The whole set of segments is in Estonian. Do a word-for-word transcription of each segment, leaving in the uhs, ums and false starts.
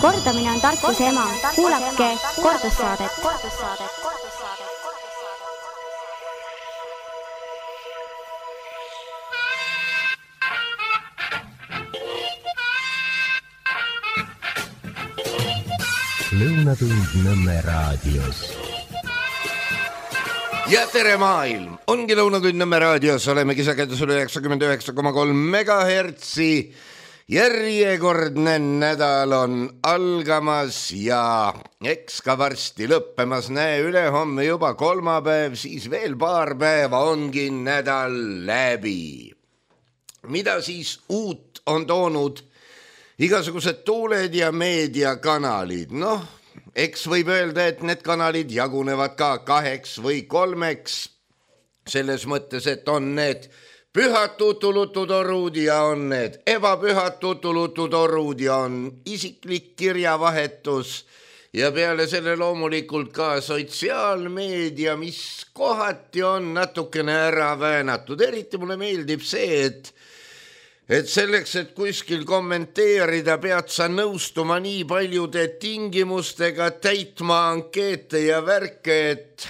Kordamine on tarkuse ema. Kuulake kordussaadet. Lõunatund Nõmme raadios. Ja tere maailm! Ongi Lõunatund Nõmme raadios, olemegi sagedusel üheksakümmend üheksa koma kolm megahertsi. Järjekordne nädal on algamas ja eks ka varsti lõppemas. Näe, ülehomme juba kolmapäev, siis veel paar päeva ongi nädal läbi. Mida siis uut on toonud igasugused tuuled ja meediakanalid? Noh, eks võib öelda, et need kanalid jagunevad ka kaheks või kolmeks. Selles mõttes, et on need pühad tutulututorud ja on need ebapühad tutulututorud ja on isiklik kirjavahetus ja peale selle loomulikult ka sotsiaalmeedia, mis kohati on natukene ära väänatud. Eriti mulle meeldib see, et et selleks, et kuskil kommenteerida, pead sa nõustuma nii paljude tingimustega, täitma ankeete ja värke, et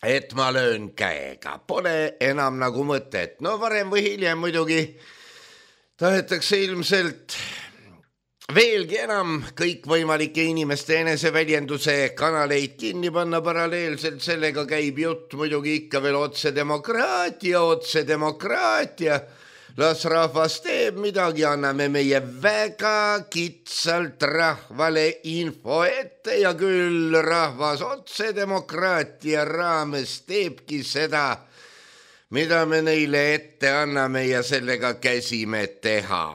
et ma löön käega. Pole enam nagu mõtet. No varem või hiljem muidugi tahetakse ilmselt veelgi enam kõikvõimalike inimeste eneseväljenduse kanaleid kinni panna. Paralleelselt sellega käib jutt muidugi ikka veel otsedemokraatia, otsedemokraatia. Las rahvas teeb midagi, anname meie väga kitsalt rahvale info ette ja küll rahvas otsedemokraatia raames teebki seda, mida me neile ette anname ja sellega käsime teha.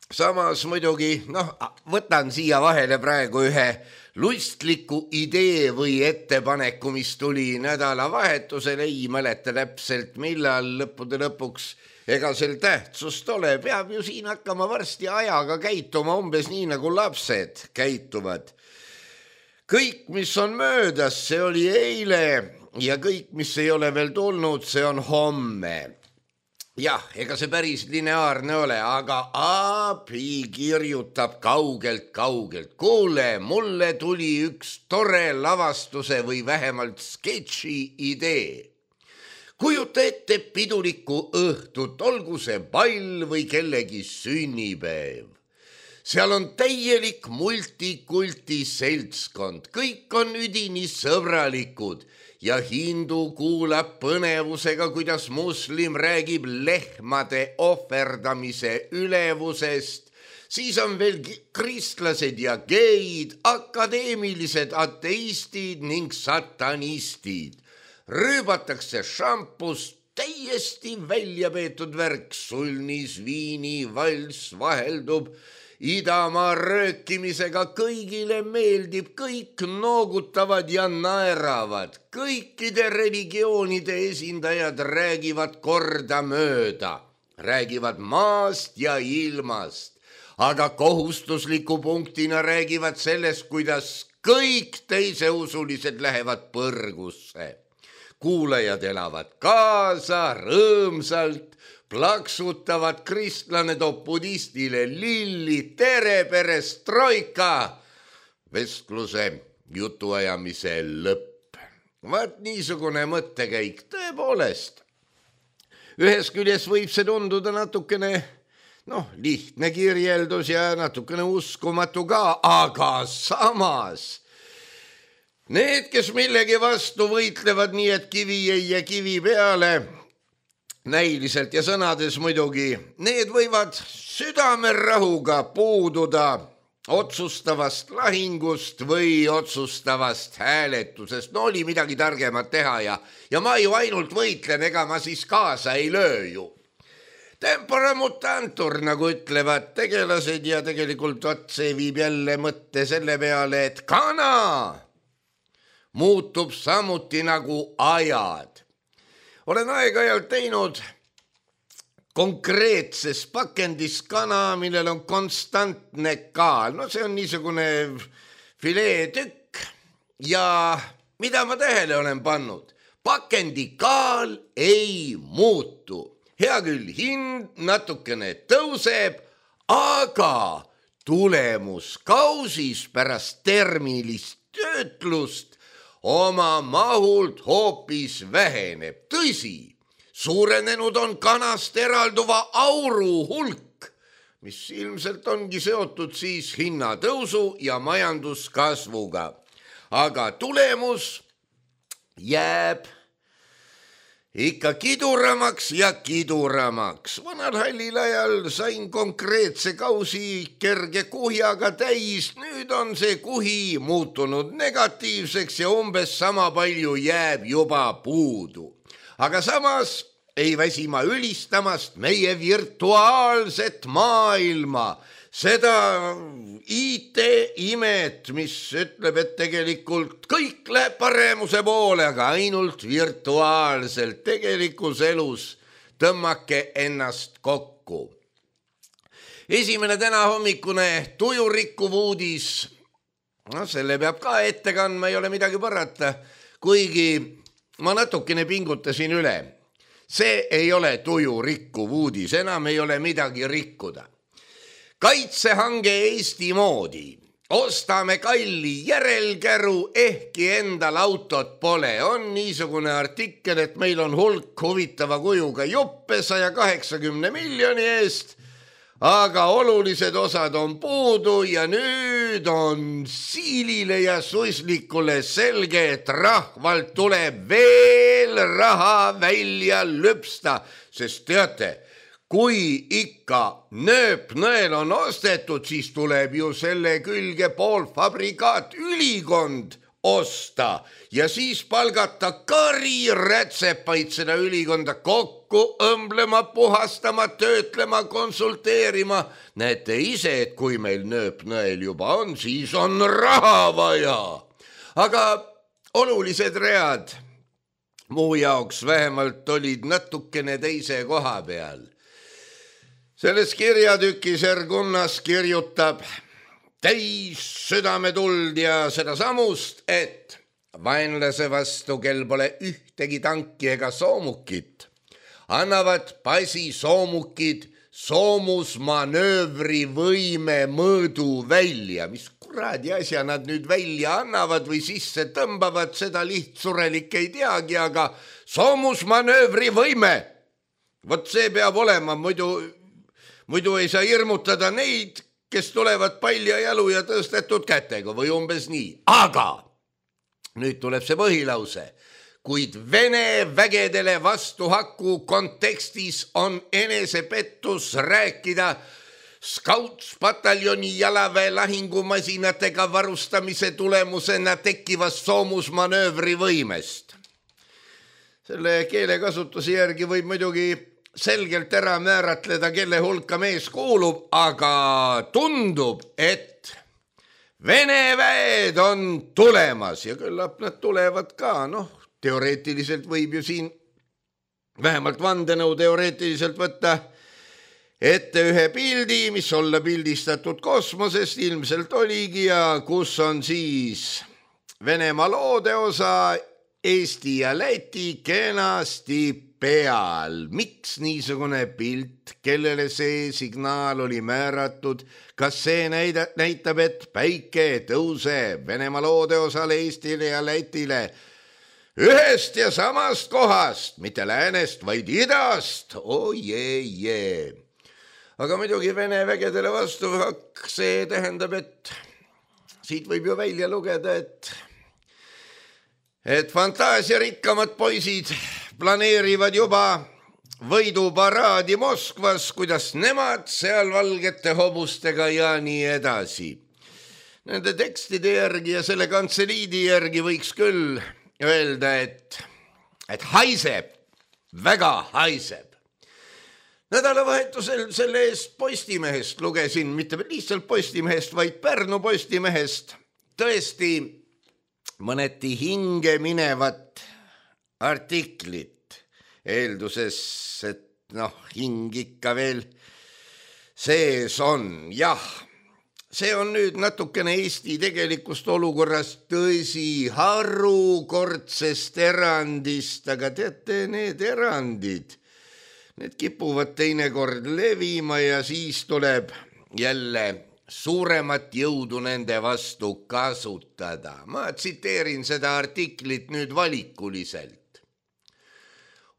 Samas muidugi, noh, võtan siia vahele praegu ühe lustliku idee või ettepaneku, mis tuli nädalavahetusel, ei mäleta täpselt millal, lõppude lõpuks ega sel tähtsust ole, peab ju siin hakkama varsti ajaga käituma umbes nii nagu lapsed käituvad. Kõik, mis on möödas, see oli eile ja kõik, mis ei ole veel tulnud, see on homme. Jah, ega see päris lineaarne ole, aga Aapi kirjutab kaugelt, kaugelt. Kuule, mulle tuli üks tore lavastuse või vähemalt sketši idee. Kujuta ette pidulikku õhtut, olgu see pall või kellegi sünnipäev. Seal on täielik multikulti seltskond, kõik on üdini sõbralikud ja hindu kuulab põnevusega, kuidas muslim räägib lehmade ohverdamise ülevusest. Siis on veel kristlased ja geid, akadeemilised ateistid ning satanistid. Rüübatakse šampust, täiesti välja peetud värk, sulnis, viini, vals vaheldub, idamaa röökimisega kõigile meeldib, kõik noogutavad ja naeravad, kõikide religioonide esindajad räägivad korda mööda, räägivad maast ja ilmast, aga kohustusliku punktina räägivad sellest, kuidas kõik teiseusulised lähevad põrgusse. Kuulajad elavad kaasa, rõõmsalt, plaksutavad, kristlane toob budistile lilli, tere perestroika, vestluse jutuajamise lõpp. Vaat niisugune mõttekäik tõepoolest. Ühes küljes võib see tunduda natukene, noh, lihtne kirjeldus ja natukene uskumatu ka, aga samas need, kes millegi vastu võitlevad nii, et kivi ei ja kivi peale, näiliselt ja sõnades muidugi, need võivad südamerahuga puududa otsustavast lahingust või otsustavast hääletusest. No oli midagi targemat teha ja, ja ma ju ainult võitlen, ega ma siis kaasa ei löö ju. Tempora mutantur, nagu ütlevad tegelased ja tegelikult otse viib jälle mõtte selle peale, et kana muutub samuti nagu ajad. Olen aeg-ajalt teinud konkreetses pakendis kana, millel on konstantne kaal. No see on niisugune fileetükk ja mida ma tähele olen pannud? Pakendi kaal ei muutu. Hea küll, hind natukene tõuseb, aga tulemus kausis pärast termilist töötlust oma mahult hoopis väheneb. Tõsi, suurenenud on kanast eralduva auru hulk, mis ilmselt ongi seotud siis hinnatõusu ja majanduskasvuga. Aga tulemus jääb ikka kiduramaks ja kiduramaks. Vanal hallil ajal sain konkreetse kausi kerge kuhjaga täis. Nüüd on see kuhi muutunud negatiivseks ja umbes sama palju jääb juba puudu. Aga samas ei väsi ma ülistamast meie virtuaalset maailma, seda I T-imet, mis ütleb, et tegelikult kõik läheb paremuse poole, aga ainult virtuaalselt. Tegelikus elus tõmmake ennast kokku. Esimene täna hommikune tujurikkuv uudis, no selle peab ka ette kandma, ei ole midagi parata, kuigi ma natukene pingutasin üle. See ei ole tujurikkuv uudis, enam ei ole midagi rikkuda. Kaitsehange Eesti moodi. Ostame kalli järelkäru, ehkki endal autot pole. On niisugune artikkel, et meil on hulk huvitava kujuga juppe saja kaheksakümne miljoni eest, aga olulised osad on puudu ja nüüd on siilile ja suislikule selge, et rahvalt tuleb veel raha välja lüpsta, sest teate, kui ikka nööpnõel on ostetud, siis tuleb ju selle külge poolfabrikaat ülikond osta ja siis palgata kari rätsepaid seda ülikonda kokku õmblema, puhastama, töötlema, konsulteerima. Näete ise, et kui meil nööpnõel juba on, siis on raha vaja. Aga olulised read muu jaoks vähemalt olid natukene teise koha peal. Selles kirjatükis Ergunnas kirjutab täis südametuld ja seda samust, et vaenlase vastu, kel pole ühtegi tanki ega soomukit, annavad pasi soomukid soomusmanöövri võime mõõdu välja. Mis kuradi asja nad nüüd välja annavad või sisse tõmbavad, seda lihtsurelik ei teagi, aga soomusmanöövri võime. Vot see peab olema, muidu Muidu ei saa hirmutada neid, kes tulevad palja jalu ja tõstetud kätega või umbes nii. Aga nüüd tuleb see põhilause. Kuid Vene vägedele vastuhaku kontekstis on enesepettus rääkida Scouts-pataljoni jalaväe lahingumasinatega varustamise tulemusena tekkivast soomusmanöövri võimest. Selle keelekasutuse järgi võib muidugi selgelt ära määratleda, kelle hulka mees kuulub, aga tundub, et Vene väed on tulemas ja küllap nad tulevad ka. Noh, teoreetiliselt võib ju siin vähemalt vandenõu teoreetiliselt võtta ette ühe pildi, mis olla pildistatud kosmosest, ilmselt oligi, ja kus on siis Venemaa loodeosa Eesti ja Läti kenasti peal. Miks niisugune pilt, kellele see signaal oli määratud? Kas see näida, näitab, et päike tõuseb Venemaa loodeosale Eestile ja Lätile ühest ja samast kohast, mitte läänest, vaid idast? Oh jee, jee. Aga muidugi Vene vägedele vastu see tähendab, et siit võib ju välja lugeda, et et fantaasiarikkamad poisid planeerivad juba võiduparaadi Moskvas, kuidas nemad seal valgete hobustega ja nii edasi. Nende tekstide järgi ja selle kantseliidi järgi võiks küll öelda, et, et haiseb, väga haiseb. Nädalavahetusel selle eest Postimehest lugesin, mitte lihtsalt Postimehest, vaid Pärnu Postimehest, tõesti mõneti hinge minevat artiklit, eelduses, et noh, hing ikka veel sees on. Jah, see on nüüd natukene Eesti tegelikust olukorrast, tõsi, harukordsest erandist, aga teate, need erandid, need kipuvad teinekord levima ja siis tuleb jälle suuremat jõudu nende vastu kasutada. Ma tsiteerin seda artiklit nüüd valikuliselt.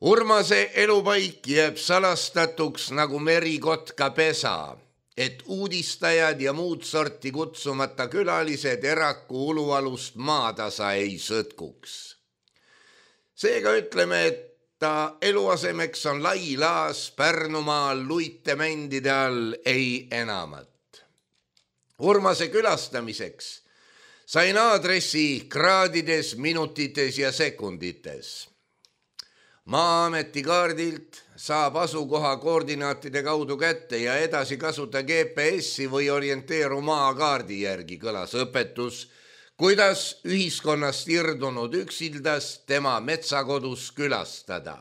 Urmase elupaik jääb salastatuks nagu merikotka pesa, et uudistajad ja muud sorti kutsumata külalised eraku ulualust maatasa ei sõtkuks. Seega ütleme, et ta eluasemeks on lai laas Pärnumaal luitemändide all ei enamat. Urmase külastamiseks sain aadressi kraadides, minutites ja sekundites. Maa-ameti kaardilt saab asukoha koordinaatide kaudu kätte ja edasi kasuta G P S-i või orienteeru maakaardi järgi, kõlas õpetus, kuidas ühiskonnast irdunud üksildast tema metsakodus külastada.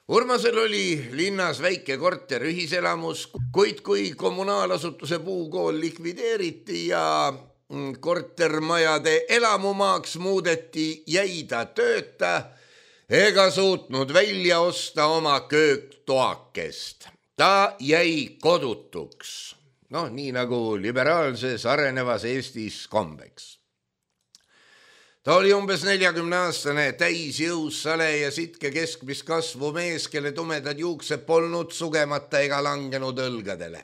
Urmasel oli linnas väike korter ühiselamus, kuid kui kommunaalasutuse puukool likvideeriti ja kortermajade elamumaaks muudeti, jäi ta tööta ega suutnud välja osta oma kööktoakest. Ta jäi kodutuks, noh nii nagu liberaalses arenevas Eestis kombeks. Ta oli umbes neljakümne aastane, täisjõus, sale ja sitke keskmist kasvu mees, kelle tumedad juuksed polnud sugemata ega langenud õlgadele.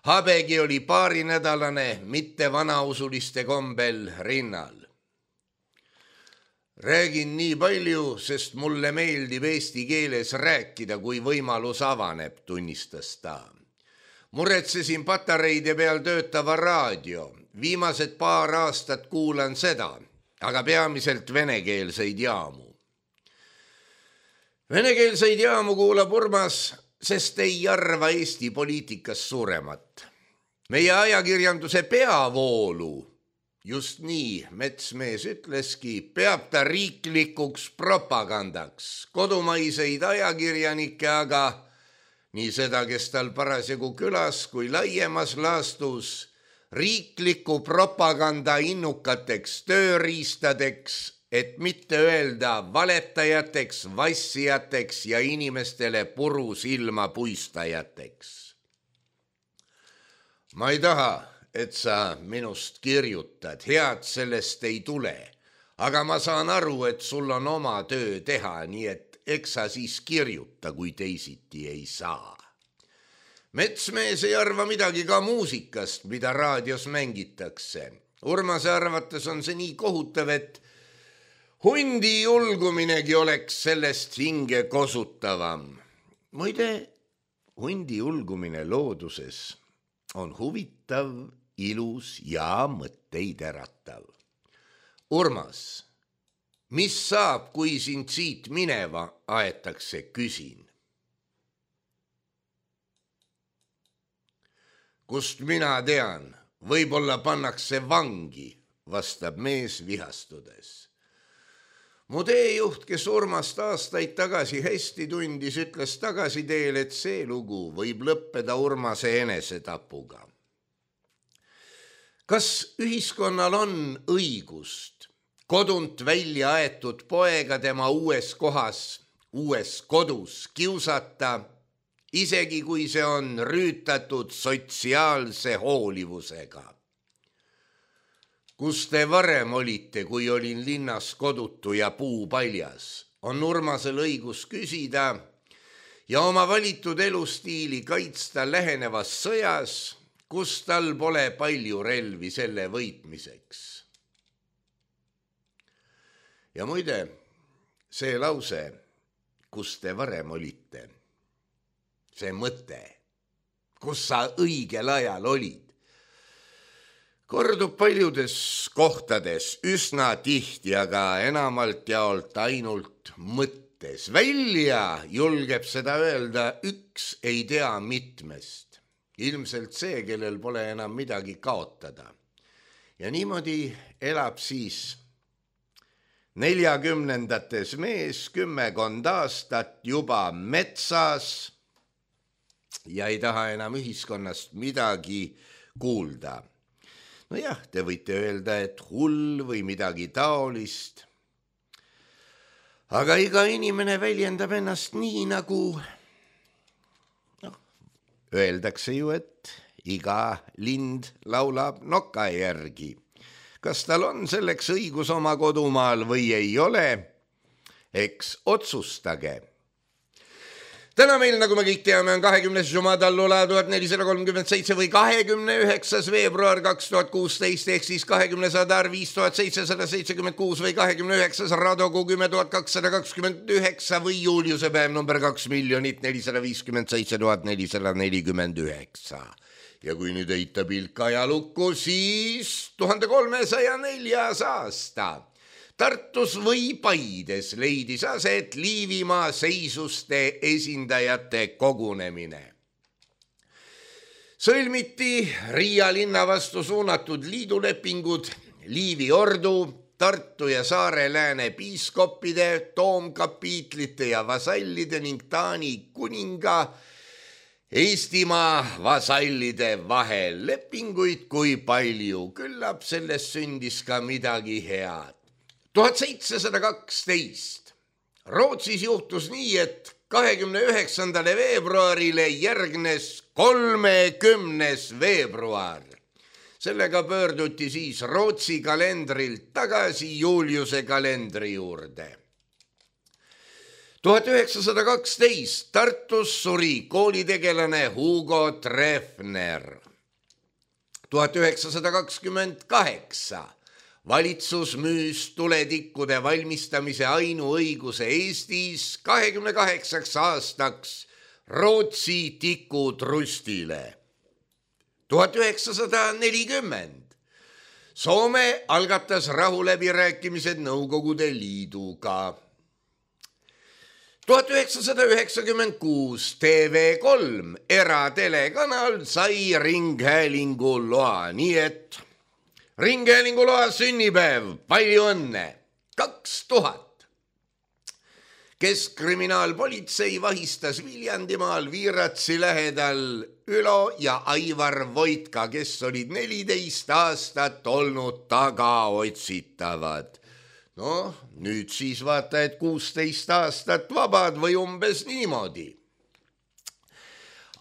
Habegi oli paarinädalane, mitte vanausuliste kombel rinnal. Räägin nii palju, sest mulle meeldib eesti keeles rääkida, kui võimalus avaneb, tunnistas ta. Muretsesin patareide peal töötava raadio. Viimased paar aastat kuulan seda, aga peamiselt venekeelseid jaamu. Venekeelseid jaamu kuulab Urmas, sest ei arva Eesti poliitikas suuremat. Meie ajakirjanduse peavoolu, just nii Metsmees ütleski, peab ta riiklikuks propagandaks. Kodumaiseid ajakirjanikke aga, nii seda, kes tal parasjagu külas kui laiemas laastus, riikliku propaganda innukateks tööriistadeks, et mitte öelda valetajateks, vassijateks ja inimestele puru silma puistajateks. Ma ei taha, et sa minust kirjutad, head sellest ei tule, aga ma saan aru, et sul on oma töö teha, nii et eks sa siis kirjuta, kui teisiti ei saa. Metsmees ei arva midagi ka muusikast, mida raadios mängitakse. Urmase arvates on see nii kohutav, et hundi julguminegi oleks sellest hinge kosutavam. Muide, hundi julgumine looduses on huvitav, ilus ja mõtteid äratav. Urmas, mis saab, kui sind siit mineva aetakse, küsin? Kust mina tean, võib-olla pannakse vangi, vastab mees vihastudes. Mu teejuht, kes Urmast aastaid tagasi hästi tundis, ütles tagasiteel, et see lugu võib lõppeda Urmase enesetapuga. Kas ühiskonnal on õigust kodunt välja aetud poega tema uues kohas, uues kodus kiusata, isegi kui see on rüütatud sotsiaalse hoolivusega? Kus te varem olite, kui olin linnas kodutu ja puu paljas, on Urmasel õigus küsida ja oma valitud elustiili kaitsta lähenevas sõjas, kus tal pole palju relvi selle võitmiseks. Ja muide, see lause, kus te varem olite, see mõte, kus sa õigel ajal olid, kordub paljudes kohtades üsna tihti, aga enamalt jaolt ainult mõttes. Välja julgeb seda öelda üks ei tea mitmest. Ilmselt see, kellel pole enam midagi kaotada. Ja niimoodi elab siis neljakümnendates mees kümmekond aastat juba metsas ja ei taha enam ühiskonnast midagi kuulda. No jah, te võite öelda, et hull või midagi taolist. Aga iga inimene väljendab ennast nii, nagu no, öeldakse ju, et iga lind laulab noka järgi. Kas tal on selleks õigus oma kodumaal või ei ole? Eks otsustage. Täna meil, nagu me kõik teame, on kahekümnes Jumadallula tuhat nelisada kolmkümmend seitse või kahekümne üheksas veebruar kaks tuhat kuusteist ehk siis kahekümne Sadar viis tuhat seitsesada seitsekümmend kuus või kahekümne üheksas Radogu kümme tuhat kakssada kakskümmend üheksa või Juliuse päev number kaks miljonit nelisada viiskümmend seitse tuhat nelisada nelikümmend üheksa. Ja kui nüüd heita pilk ajalukku, siis tuhande kolmesaja neljas aasta. Tartus või Paides leidis aset Liivimaa seisuste esindajate kogunemine. Sõlmiti Riia linna vastu suunatud liidulepingud Liivi ordu, Tartu ja Saare lääne piiskoppide, toomkapiitlite ja vasallide ning Taani kuninga Eestimaa vasallide vahel. Lepinguid kui palju, küllap sellest sündis ka midagi head. tuhat seitsesada kaksteist. Rootsis juhtus nii, et kahekümne üheksandale veebruarile järgnes kolmekümnes veebruar. Sellega pöörduti siis Rootsi kalendrilt tagasi Juliuse kalendri juurde. tuhat üheksasada kaksteist. Tartus suri koolitegelane Hugo Treffner. tuhat üheksasada kakskümmend kaheksa. Valitsus müüs tuletikkude valmistamise ainuõiguse Eestis kahekümne kaheksaks aastaks Rootsi tikutrustile. tuhat üheksasada nelikümmend. Soome algatas rahuläbirääkimised Nõukogude Liiduga. tuhat üheksasada üheksakümmend kuus. T V kolm eratelekanal sai ringhäälingu loa, nii et ringhäälinguloa sünnipäev, palju õnne, kaks tuhat. Keskkriminaalpolitsei vahistas Viljandimaal Viiratsi lähedal Ülo ja Aivar Voitka, kes olid neliteist aastat olnud tagaotsitavad. No, nüüd siis vaata, et kuusteist aastat vabad või umbes niimoodi.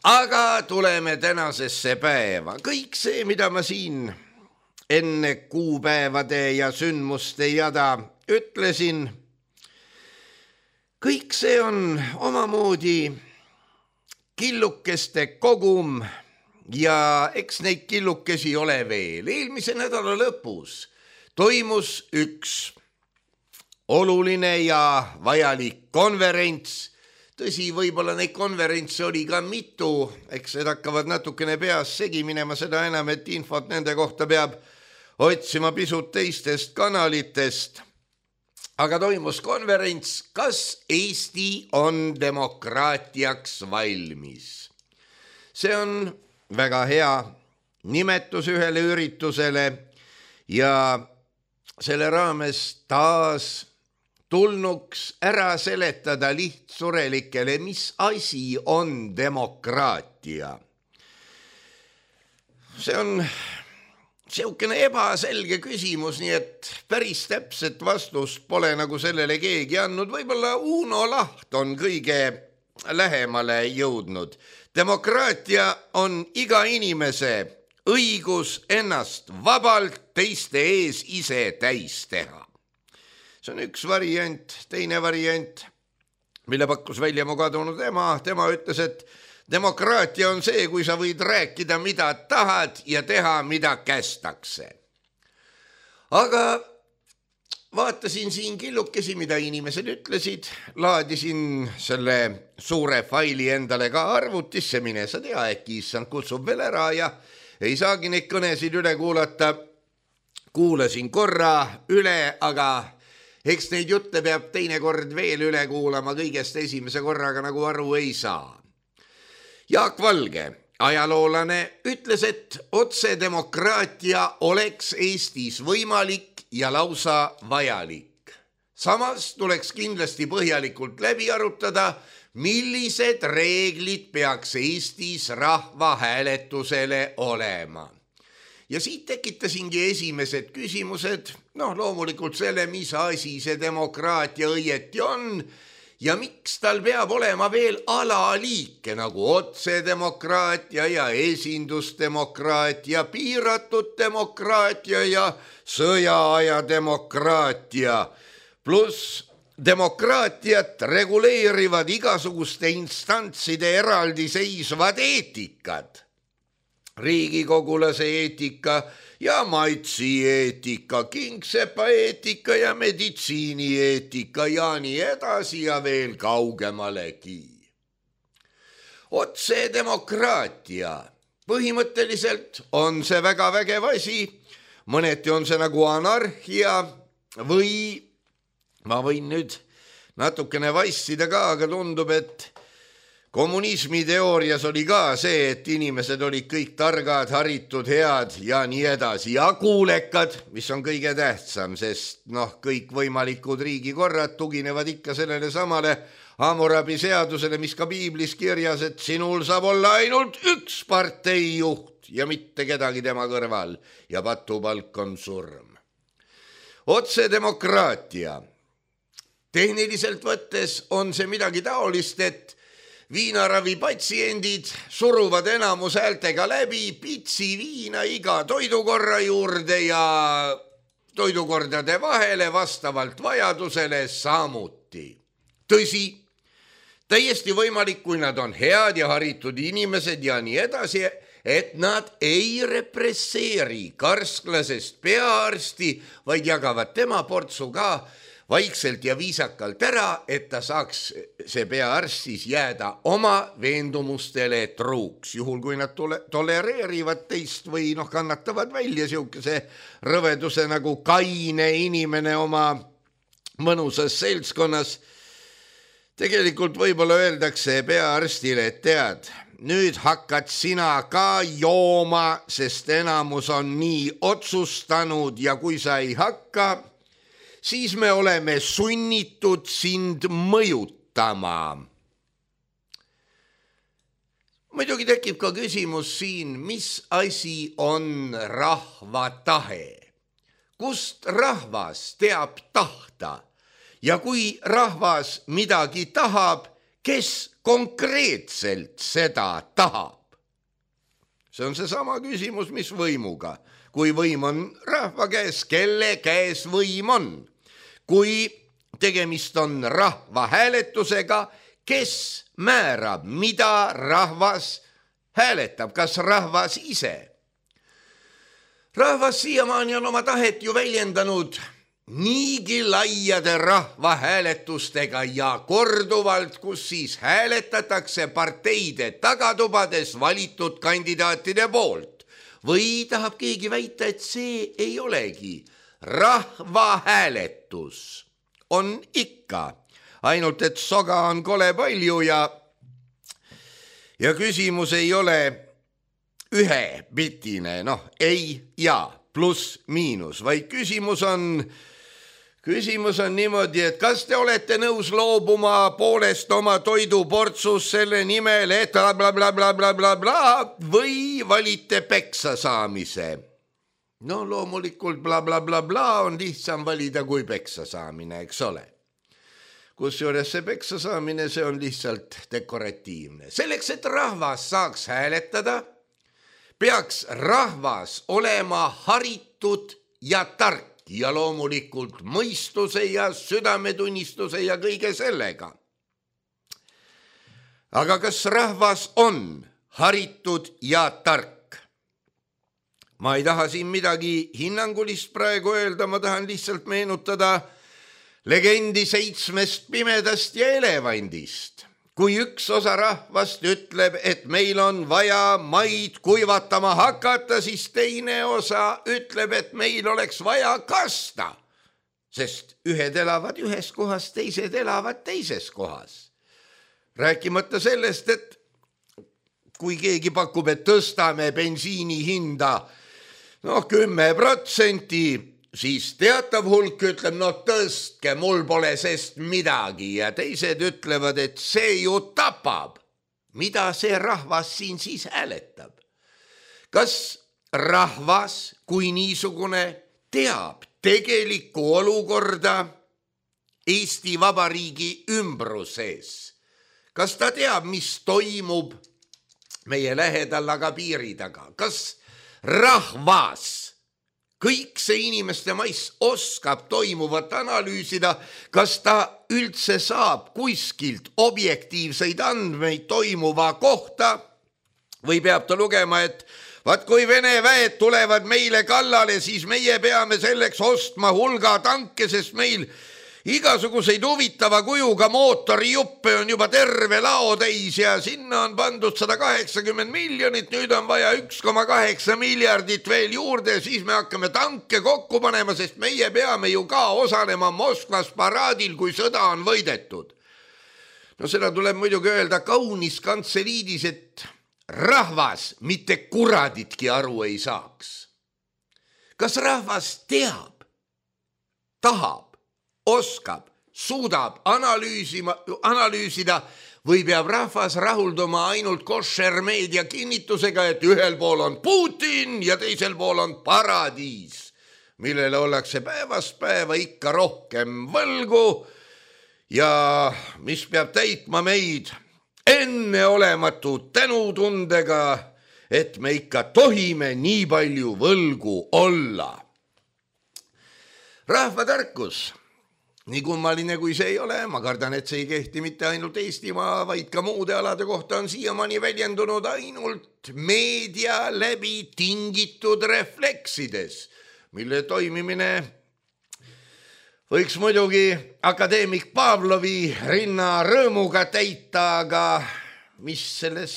Aga tuleme tänasesse päeva. Kõik see, mida ma siin enne kuupäevade ja sündmuste jada ütlesin, kõik see on omamoodi killukeste kogum ja eks neid killukesi ole veel. Eelmise nädala lõpus toimus üks oluline ja vajalik konverents. Tõsi, võib-olla neid konverentse oli ka mitu, eks need hakkavad natukene peas segi minema, seda enam, et infot nende kohta peab otsima pisut teistest kanalitest. Aga toimus konverents, kas Eesti on demokraatiaks valmis. See on väga hea nimetus ühele üritusele ja selle raames taas tulnuks ära seletada lihtsurelikele, mis asi on demokraatia. See on siukene ebaselge küsimus, nii et päris täpset vastust pole nagu sellele keegi andnud. Võib-olla Uno Laht on kõige lähemale jõudnud. Demokraatia on iga inimese õigus ennast vabalt teiste ees ise täis teha. See on üks variant. Teine variant, mille pakkus välja mu kadunud ema, tema ütles, et demokraatia on see, kui sa võid rääkida, mida tahad ja teha, mida kästakse. Aga vaatasin siin killukesi, mida inimesed ütlesid, laadisin selle suure faili endale ka arvutisse, mine sa tea, äkki issand kutsub veel ära ja ei saagi neid kõnesid üle kuulata. Kuulasin korra üle, aga eks neid jutte peab teinekord veel üle kuulama, kõigest esimese korraga nagu aru ei saa. Jaak Valge, ajaloolane, ütles, et otsedemokraatia oleks Eestis võimalik ja lausa vajalik. Samas tuleks kindlasti põhjalikult läbi arutada, millised reeglid peaks Eestis rahvahääletusele olema. Ja siit tekitasingi esimesed küsimused, noh loomulikult selle, mis asi see demokraatia õieti on ja miks tal peab olema veel alaliike nagu otsedemokraatia ja esindusdemokraatia, piiratud demokraatia ja sõjaaja demokraatia, pluss demokraatiat reguleerivad igasuguste instantside eraldiseisvad eetikad. Riigikogulase eetika ja maitsi eetika, kingsepa eetika ja meditsiini eetika ja nii edasi ja veel kaugemalegi. Otsedemokraatia. Põhimõtteliselt on see väga vägev asi, mõneti on see nagu anarhia või ma võin nüüd natukene vassida ka, aga tundub, et kommunismi teoorias oli ka see, et inimesed olid kõik targad, haritud, head ja nii edasi ja kuulekad, mis on kõige tähtsam, sest noh, kõik võimalikud riigikorrad tuginevad ikka sellele samale Hammurabi seadusele, mis ka piiblis kirjas, et sinul saab olla ainult üks parteijuht ja mitte kedagi tema kõrval ja patupalk on surm. Otsedemokraatia. Tehniliselt võttes on see midagi taolist, et viinaravi patsiendid suruvad enamus häältega läbi pitsi viina iga toidukorra juurde ja toidukordade vahele vastavalt vajadusele samuti. Tõsi, täiesti võimalik, kui nad on head ja haritud inimesed ja nii edasi, et nad ei represseeri karsklasest peaarsti, vaid jagavad tema portsu ka vaikselt ja viisakalt ära, et ta saaks see peaarst siis jääda oma veendumustele truuks, juhul kui nad tole, tolereerivad teist või noh, kannatavad välja siukese rõveduse nagu kaine inimene oma mõnusas seltskonnas. Tegelikult võib-olla öeldakse peaarstile, et tead, nüüd hakkad sina ka jooma, sest enamus on nii otsustanud ja kui sa ei hakka, siis me oleme sunnitud sind mõjutama. Muidugi tekib ka küsimus siin, mis asi on rahva tahe? Kust rahvas teab tahta? Ja kui rahvas midagi tahab, kes konkreetselt seda tahab? See on seesama küsimus, mis võimuga. Kui võim on rahva käes, kelle käes võim on? Kui tegemist on rahva hääletusega, kes määrab, mida rahvas hääletab, kas rahvas ise? Rahvas siiamaani on oma tahet ju väljendanud niigi laiade rahva hääletustega ja korduvalt, kus siis hääletatakse parteide tagatubades valitud kandidaatide poolt. Või tahab keegi väita, et see ei olegi rahvahääletus, on ikka, ainult et soga on kole palju ja, ja küsimus ei ole ühepitine, noh, ei ja pluss miinus, vaid küsimus on, küsimus on niimoodi, et kas te olete nõus loobuma poolest oma toiduportsus selle nimel, et bla bla bla bla bla bla bla või valite peksa saamise? No loomulikult bla bla bla bla on lihtsam valida kui peksa saamine, eks ole. Kusjuures see peksa saamine, see on lihtsalt dekoratiivne. Selleks, et rahvas saaks hääletada, peaks rahvas olema haritud ja tark ja loomulikult mõistuse ja südametunnistuse ja kõige sellega. Aga kas rahvas on haritud ja tark? Ma ei taha siin midagi hinnangulist praegu öelda, ma tahan lihtsalt meenutada legendi seitsmest pimedast ja elevandist. Kui üks osa rahvast ütleb, et meil on vaja maid kuivatama hakata, siis teine osa ütleb, et meil oleks vaja kasta, sest ühed elavad ühes kohas, teised elavad teises kohas. Rääkimata sellest, et kui keegi pakub, et tõstame bensiini hinda noh, kümme protsenti, siis teatav hulk ütleb, no tõstke, mul pole sest midagi ja teised ütlevad, et see ju tapab. Mida see rahvas siin siis hääletab? Kas rahvas kui niisugune teab tegelikku olukorda Eesti Vabariigi ümbruses. Kas ta teab, mis toimub meie lähedal aga piiri taga? Kas rahvas, kõik see inimeste mais oskab toimuvat analüüsida, kas ta üldse saab kuskilt objektiivseid andmeid toimuva kohta või peab ta lugema, et vaat kui Vene väed tulevad meile kallale, siis meie peame selleks ostma hulga tanke, sest meil igasuguseid huvitava kujuga mootorijuppe on juba terve lao täis ja sinna on pandud sada kaheksakümmend miljonit, nüüd on vaja üks koma kaheksa miljardit veel juurde, siis me hakkame tanke kokku panema, sest meie peame ju ka osalema Moskvas paraadil, kui sõda on võidetud. No seda tuleb muidugi öelda kaunis kantseliidis, et rahvas mitte kuraditki aru ei saaks. Kas rahvas teab, tahab, oskab, suudab analüüsima, analüüsida või peab rahvas rahulduma ainult koššermeedia kinnitusega, et ühel pool on Putin ja teisel pool on paradiis, millele ollakse päevast päeva ikka rohkem võlgu ja mis peab täitma meid enneolematu tänutundega, et me ikka tohime nii palju võlgu olla. Rahvatarkus, nii kummaline kui see ei ole, ma kardan, et see ei kehti mitte ainult Eestimaa, vaid ka muude alade kohta on siiamaani väljendunud ainult meedia läbi tingitud refleksides, mille toimimine võiks muidugi akadeemik Pavlovi rinna rõõmuga täita, aga mis selles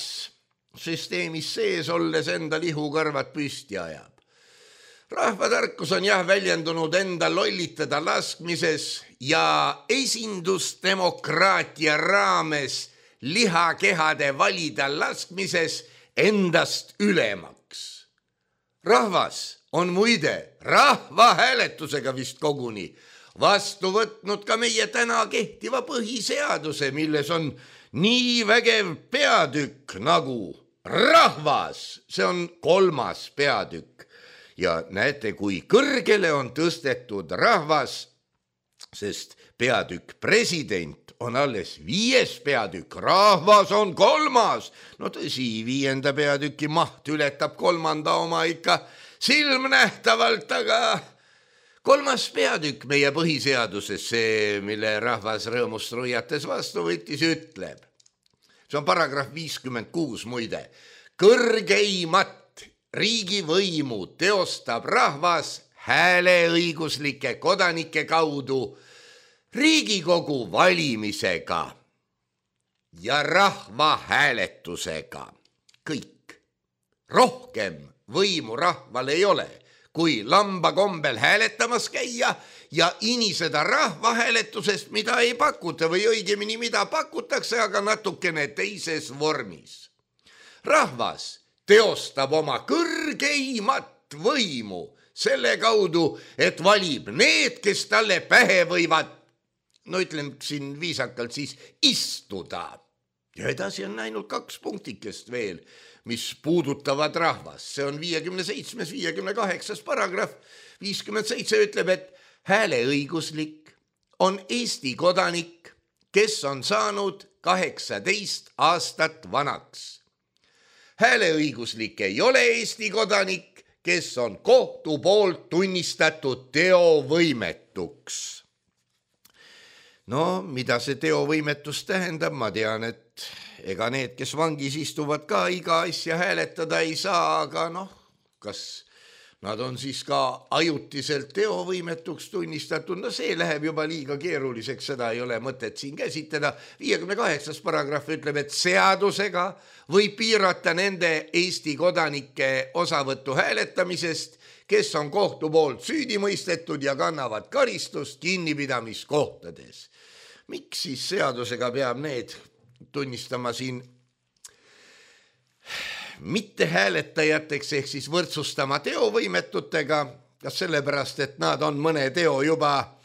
süsteemis sees olles enda lihukõrvad püsti ajab. Rahvatarkus on jah väljendunud enda lollitada laskmises ja esindusdemokraatia raames lihakehade valida laskmises endast ülemaks. Rahvas on muide rahvahääletusega vist koguni vastu võtnud ka meie täna kehtiva põhiseaduse, milles on nii vägev peatükk nagu rahvas, see on kolmas peatükk. Ja näete, kui kõrgele on tõstetud rahvas, sest peatükk president on alles viies peatükk, rahvas on kolmas. No tõsi, viienda peatüki maht ületab kolmanda oma ikka silmnähtavalt, aga kolmas peatükk meie põhiseaduses, see, mille rahvas rõõmust ruiates vastu võttis, ütleb. See on paragrahv viiskümmend kuus muide. Kõrgeimat riigivõimu teostab rahvas hääleõiguslike kodanike kaudu Riigikogu valimisega ja rahvahääletusega. Kõik. Rohkem võimu rahval ei ole, kui lamba kombel hääletamas käia ja iniseda rahvahääletusest, mida ei pakuta või õigemini mida pakutakse, aga natukene teises vormis. Rahvas teostab oma kõrgeimat võimu selle kaudu, et valib need, kes talle pähe võivad, no ütlen siin viisakalt siis, istuda. Ja edasi on ainult kaks punktikest veel, mis puudutavad rahvas. See on viiekümne seitsmes, viiekümne kaheksas paragrahv. viiskümmend seitse ütleb, et hääleõiguslik on Eesti kodanik, kes on saanud kaheksateist aastat vanaks. Hääleõiguslik ei ole Eesti kodanik, kes on kohtu poolt tunnistatud teovõimetuks. No, mida see teovõimetus tähendab, ma tean, et ega need, kes vangis istuvad ka iga asja hääletada ei saa, aga noh, kas nad on siis ka ajutiselt teovõimetuks tunnistatud, no see läheb juba liiga keeruliseks, seda ei ole mõtet siin käsitleda. viiekümne kaheksas paragrahv ütleb, et seadusega võib piirata nende Eesti kodanike osavõttu hääletamisest, kes on kohtu poolt süüdi mõistetud ja kannavad karistust kinnipidamiskohtades. Miks siis seadusega peab need tunnistama siin mitte hääletajateks ehk siis võrdsustama teovõimetutega, kas sellepärast, et nad on mõne teo juba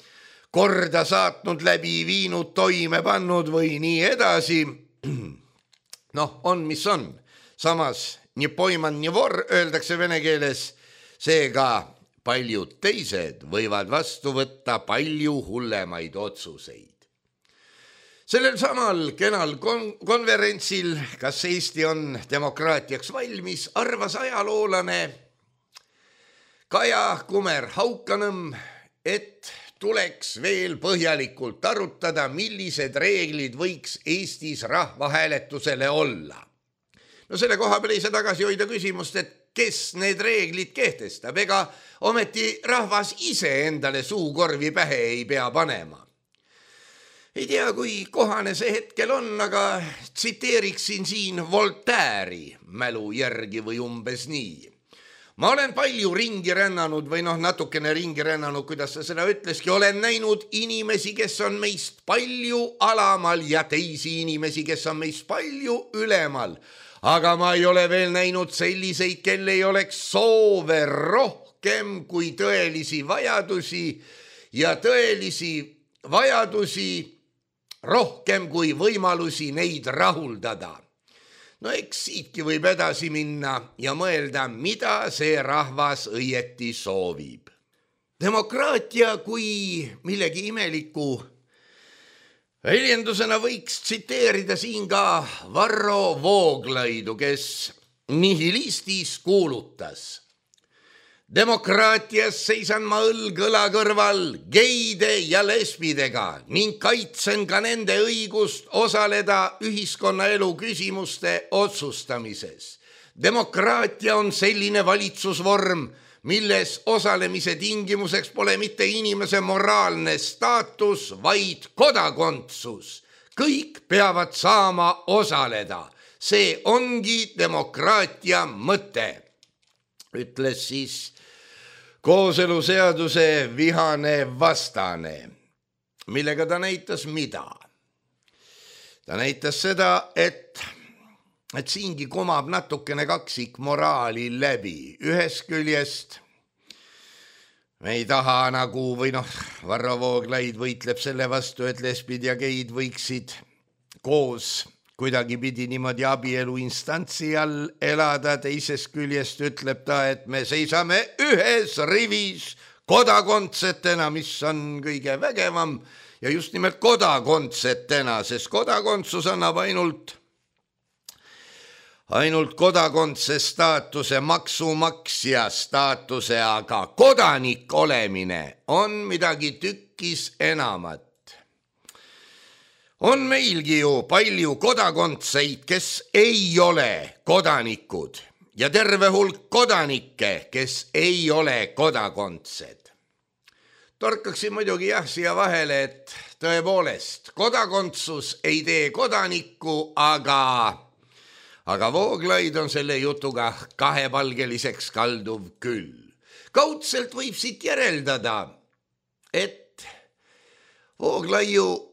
korda saatnud, läbi viinud, toime pannud või nii edasi. Noh, on mis on. Samas, nii poiman, nii vor öeldakse vene keeles, seega paljud teised võivad vastu võtta palju hullemaid otsuseid. Sellel samal kenal kon- konverentsil, kas Eesti on demokraatiaks valmis, arvas ajaloolane Kaja Kumer-Haukanõmm, et tuleks veel põhjalikult arutada, millised reeglid võiks Eestis rahvahääletusele olla. No selle koha peal ei saa tagasi hoida küsimust, et kes need reeglid kehtestab, ega ometi rahvas ise endale suukorvi pähe ei pea panema. Ei tea, kui kohane see hetkel on, aga tsiteeriksin siin Voltaire'i mälu järgi või umbes nii. Ma olen palju ringi rännanud või noh, natukene ringi rännanud, kuidas sa seda ütleski, olen näinud inimesi, kes on meist palju alamal ja teisi inimesi, kes on meist palju ülemal. Aga ma ei ole veel näinud selliseid, kel ei oleks soove rohkem kui tõelisi vajadusi ja tõelisi vajadusi rohkem kui võimalusi neid rahuldada. No eks siitki võib edasi minna ja mõelda, mida see rahvas õieti soovib. Demokraatia kui millegi imeliku väljendusena võiks tsiteerida siin ka Varro Vooglaidu, kes nihilistis kuulutas. Demokraatias seisan ma õlg õla kõrval geide ja lesbidega ning kaitsen ka nende õigust osaleda ühiskonnaelu küsimuste otsustamises. Demokraatia on selline valitsusvorm, milles osalemise tingimuseks pole mitte inimese moraalne staatus, vaid kodakondsus. Kõik peavad saama osaleda. See ongi demokraatia mõte, ütles siis kooseluseaduse vihane vastane, millega ta näitas mida? Ta näitas seda, et, et siingi komab natukene kaksik moraali läbi. Ühest küljest me ei taha nagu, või noh, Varro Vooglaid võitleb selle vastu, et lesbid ja geid võiksid koos kuidagi pidi niimoodi abielu instantsi all elada, teisest küljest ütleb ta, et me seisame ühes rivis kodakondsetena, mis on kõige vägevam ja just nimelt kodakondsetena, sest kodakondsus annab ainult, ainult kodakondse staatuse, maksumaksja staatuse, aga kodanik olemine on midagi tükkis enamat. On meilgi ju palju kodakondseid, kes ei ole kodanikud ja terve hulk kodanikke, kes ei ole kodakondsed. Torkaksin muidugi jah siia vahele, et tõepoolest kodakondsus ei tee kodanikku, aga, aga Vooglaid on selle jutuga kahepalgeliseks kalduv küll. Kaudselt võib siit järeldada, et Vooglaiu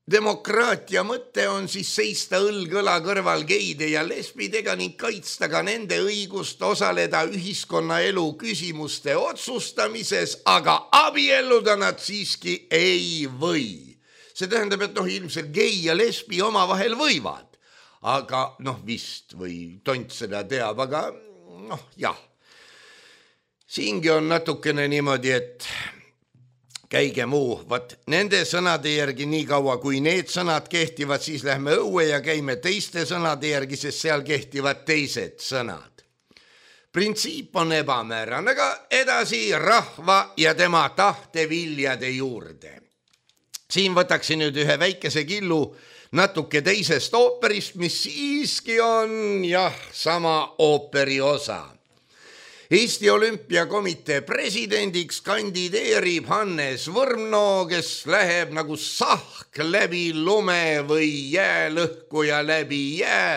demokraatia mõte on siis seista õlg õla kõrval geide ja lesbidega ning kaitsta ka nende õigust osaleda ühiskonnaelu küsimuste otsustamises, aga abielluda nad siiski ei või. See tähendab, et noh, ilmselt gei ja lesbi omavahel võivad, aga noh, vist või tont seda teab, aga noh, jah. Siingi on natukene niimoodi, et käige muu, vaat nende sõnade järgi nii kaua, kui need sõnad kehtivad, siis lähme õue ja käime teiste sõnade järgi, sest seal kehtivad teised sõnad. Printsiip on ebamäärane, aga edasi rahva ja tema tahteviljade juurde. Siin võtaksin nüüd ühe väikese killu natuke teisest ooperist, mis siiski on jah, sama ooperi osa. Eesti Olümpiakomitee presidendiks kandideerib Hannes Võrno, kes läheb nagu sahk läbi lume või jäälõhku ja läbi jää,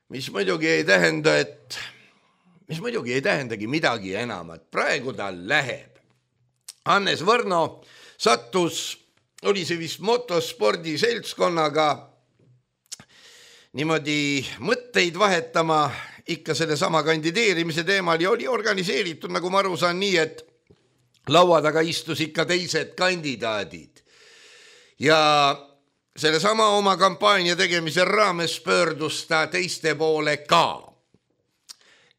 mis muidugi ei tähenda, et, mis muidugi ei tähendagi midagi enamat. Praegu ta läheb. Hannes Võrno sattus, oli see vist motospordi seltskonnaga niimoodi mõtteid vahetama ikka selle sama kandideerimise teemal ja oli organiseeritud, nagu ma aru saan, nii, et laua taga istus ikka teised kandidaadid. Ja selle sama oma kampaania tegemise raames pöördus ta teiste poole ka.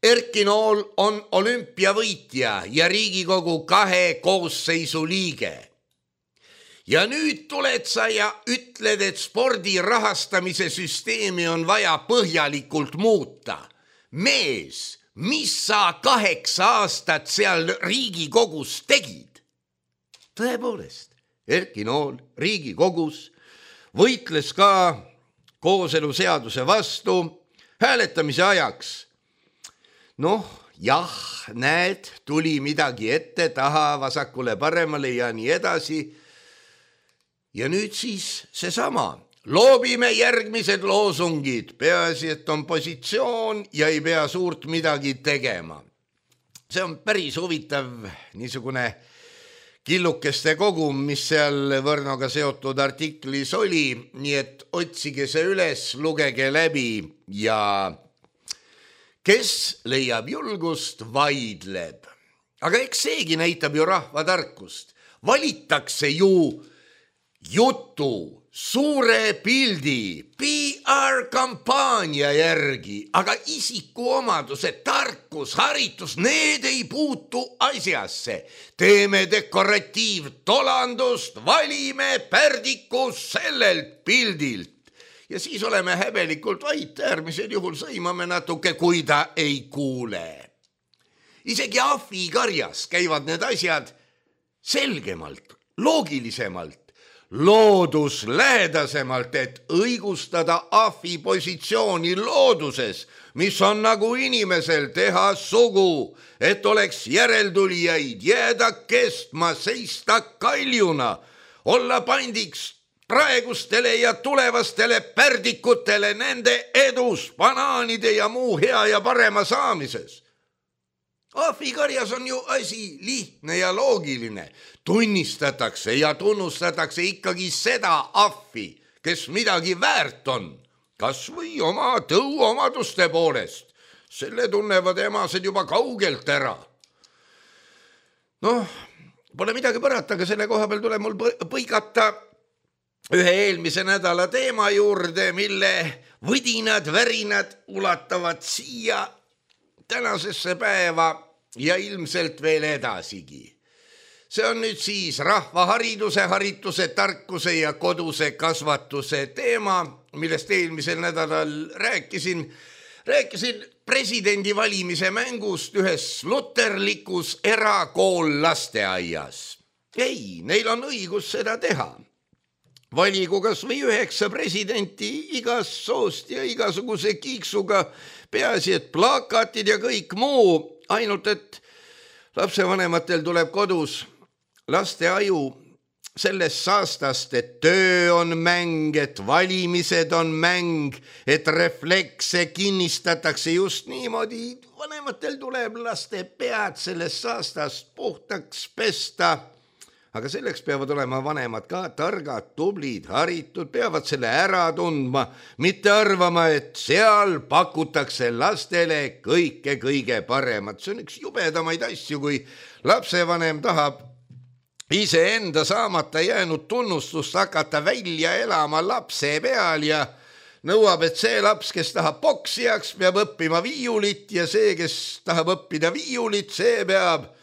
Erki Nool on olümpiavõitja ja Riigikogu kahe koosseisu liige. Ja nüüd tuled sa ja ütled, et spordi rahastamise süsteemi on vaja põhjalikult muuta. Mees, mis sa kaheksa aastat seal Riigikogus tegid? Tõepoolest, Erki Nool Riigikogus võitles ka kooseluseaduse vastu hääletamise ajaks. Noh, jah, näed, tuli midagi ette, taha, vasakule, paremale ja nii edasi. Ja nüüd siis seesama. Loobime järgmised loosungid, peaasi, et on positsioon ja ei pea suurt midagi tegema. See on päris huvitav niisugune killukeste kogum, mis seal Võrnoga seotud artiklis oli, nii et otsige see üles, lugege läbi ja kes leiab julgust, vaidleb. Aga eks seegi näitab ju rahva tarkust. Valitakse ju jutu, suure pildi, P R-kampaania järgi, aga isikuomadused, tarkus, haritus, need ei puutu asjasse. Teeme dekoratiivtolandust, valime pärdiku sellelt pildilt. Ja siis oleme häbelikult vait, äärmisel juhul sõimame natuke, kui ta ei kuule. Isegi ahvikarjas käivad need asjad selgemalt, loogilisemalt, looduslähedasemalt, et õigustada ahvi positsiooni looduses, mis on nagu inimesel teha sugu, et oleks järeltulijaid, jääda kestma, seista kaljuna, olla pandiks praegustele ja tulevastele pärdikutele nende edus, banaanide ja muu hea ja parema saamises. Ahvikarjas on ju asi lihtne ja loogiline. Tunnistatakse ja tunnustatakse ikkagi seda ahvi, kes midagi väärt on, kas või oma tõuomaduste poolest. Selle tunnevad emased juba kaugelt ära. Noh, pole midagi parata, aga selle koha peal tuleb mul põigata ühe eelmise nädala teema juurde, mille võdinad, värinad ulatavad siia tänasesse päeva ja ilmselt veel edasigi. See on nüüd siis rahvahariduse, harituse, tarkuse ja koduse kasvatuse teema, millest eelmisel nädalal rääkisin. Rääkisin presidendi valimise mängust ühes luterlikus erakool lasteaias. Ei, neil on õigus seda teha. Valigu kas või üheksa presidenti igas soost ja igasuguse kiiksuga, peaasi, et plakatid ja kõik muu, ainult et lapsevanematel tuleb kodus laste aju sellest saastast, et töö on mäng, et valimised on mäng, et reflekse kinnistatakse just niimoodi. Vanematel tuleb laste pead sellest saastast puhtaks pesta. Aga selleks peavad olema vanemad ka targad, tublid, haritud, peavad selle ära tundma, mitte arvama, et seal pakutakse lastele kõike kõige paremat. See on üks jubedamaid asju, kui lapsevanem tahab iseenda saamata jäänud tunnustust hakata välja elama lapse peal ja nõuab, et see laps, kes tahab poksijaks, peab õppima viiulit ja see, kes tahab õppida viiulit, see peab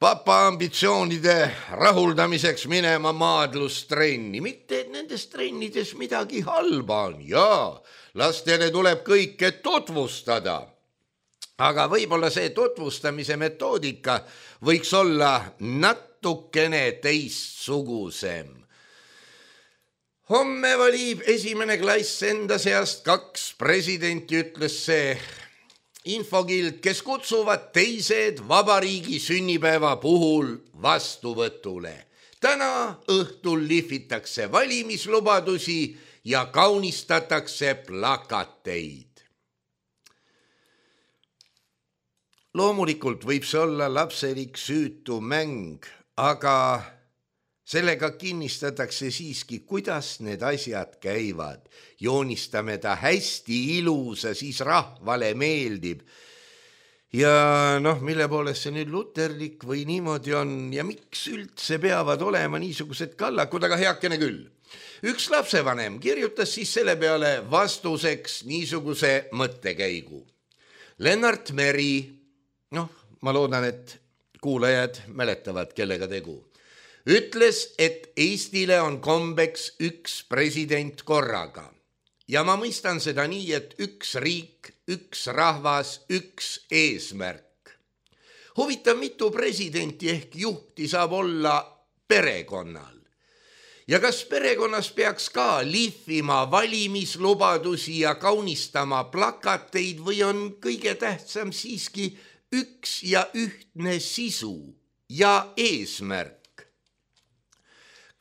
papa ambitsioonide rahuldamiseks minema maadlustrenni. Mitte, et nendes trennides midagi halba on. Jaa, lastele tuleb kõike tutvustada. Aga võib-olla see tutvustamise metoodika võiks olla natukene teistsugusem. Homme valib esimene klass enda seast kaks presidenti, ütles see infokild, kes kutsuvad teised vabariigi sünnipäeva puhul vastuvõtule. Täna õhtul lihvitakse valimislubadusi ja kaunistatakse plakateid. Loomulikult võib see olla lapselik süütu mäng, aga sellega kinnistatakse siiski, kuidas need asjad käivad. Joonistame ta hästi ilusa, siis rahvale meeldib. Ja noh, mille poolest see nüüd luterlik või niimoodi on ja miks üldse peavad olema niisugused kallakud, aga heakene küll. Üks lapsevanem kirjutas siis selle peale vastuseks niisuguse mõttekäigu. Lennart Meri, noh, ma loodan, et kuulajad mäletavad, kellega tegu, ütles, et Eestile on kombeks üks president korraga. Ja ma mõistan seda nii, et üks riik, üks rahvas, üks eesmärk. Huvitav, mitu presidenti ehk juhti saab olla perekonnal. Ja kas perekonnas peaks ka lihvima valimislubadusi ja kaunistama plakateid või on kõige tähtsam siiski üks ja ühtne sisu ja eesmärk?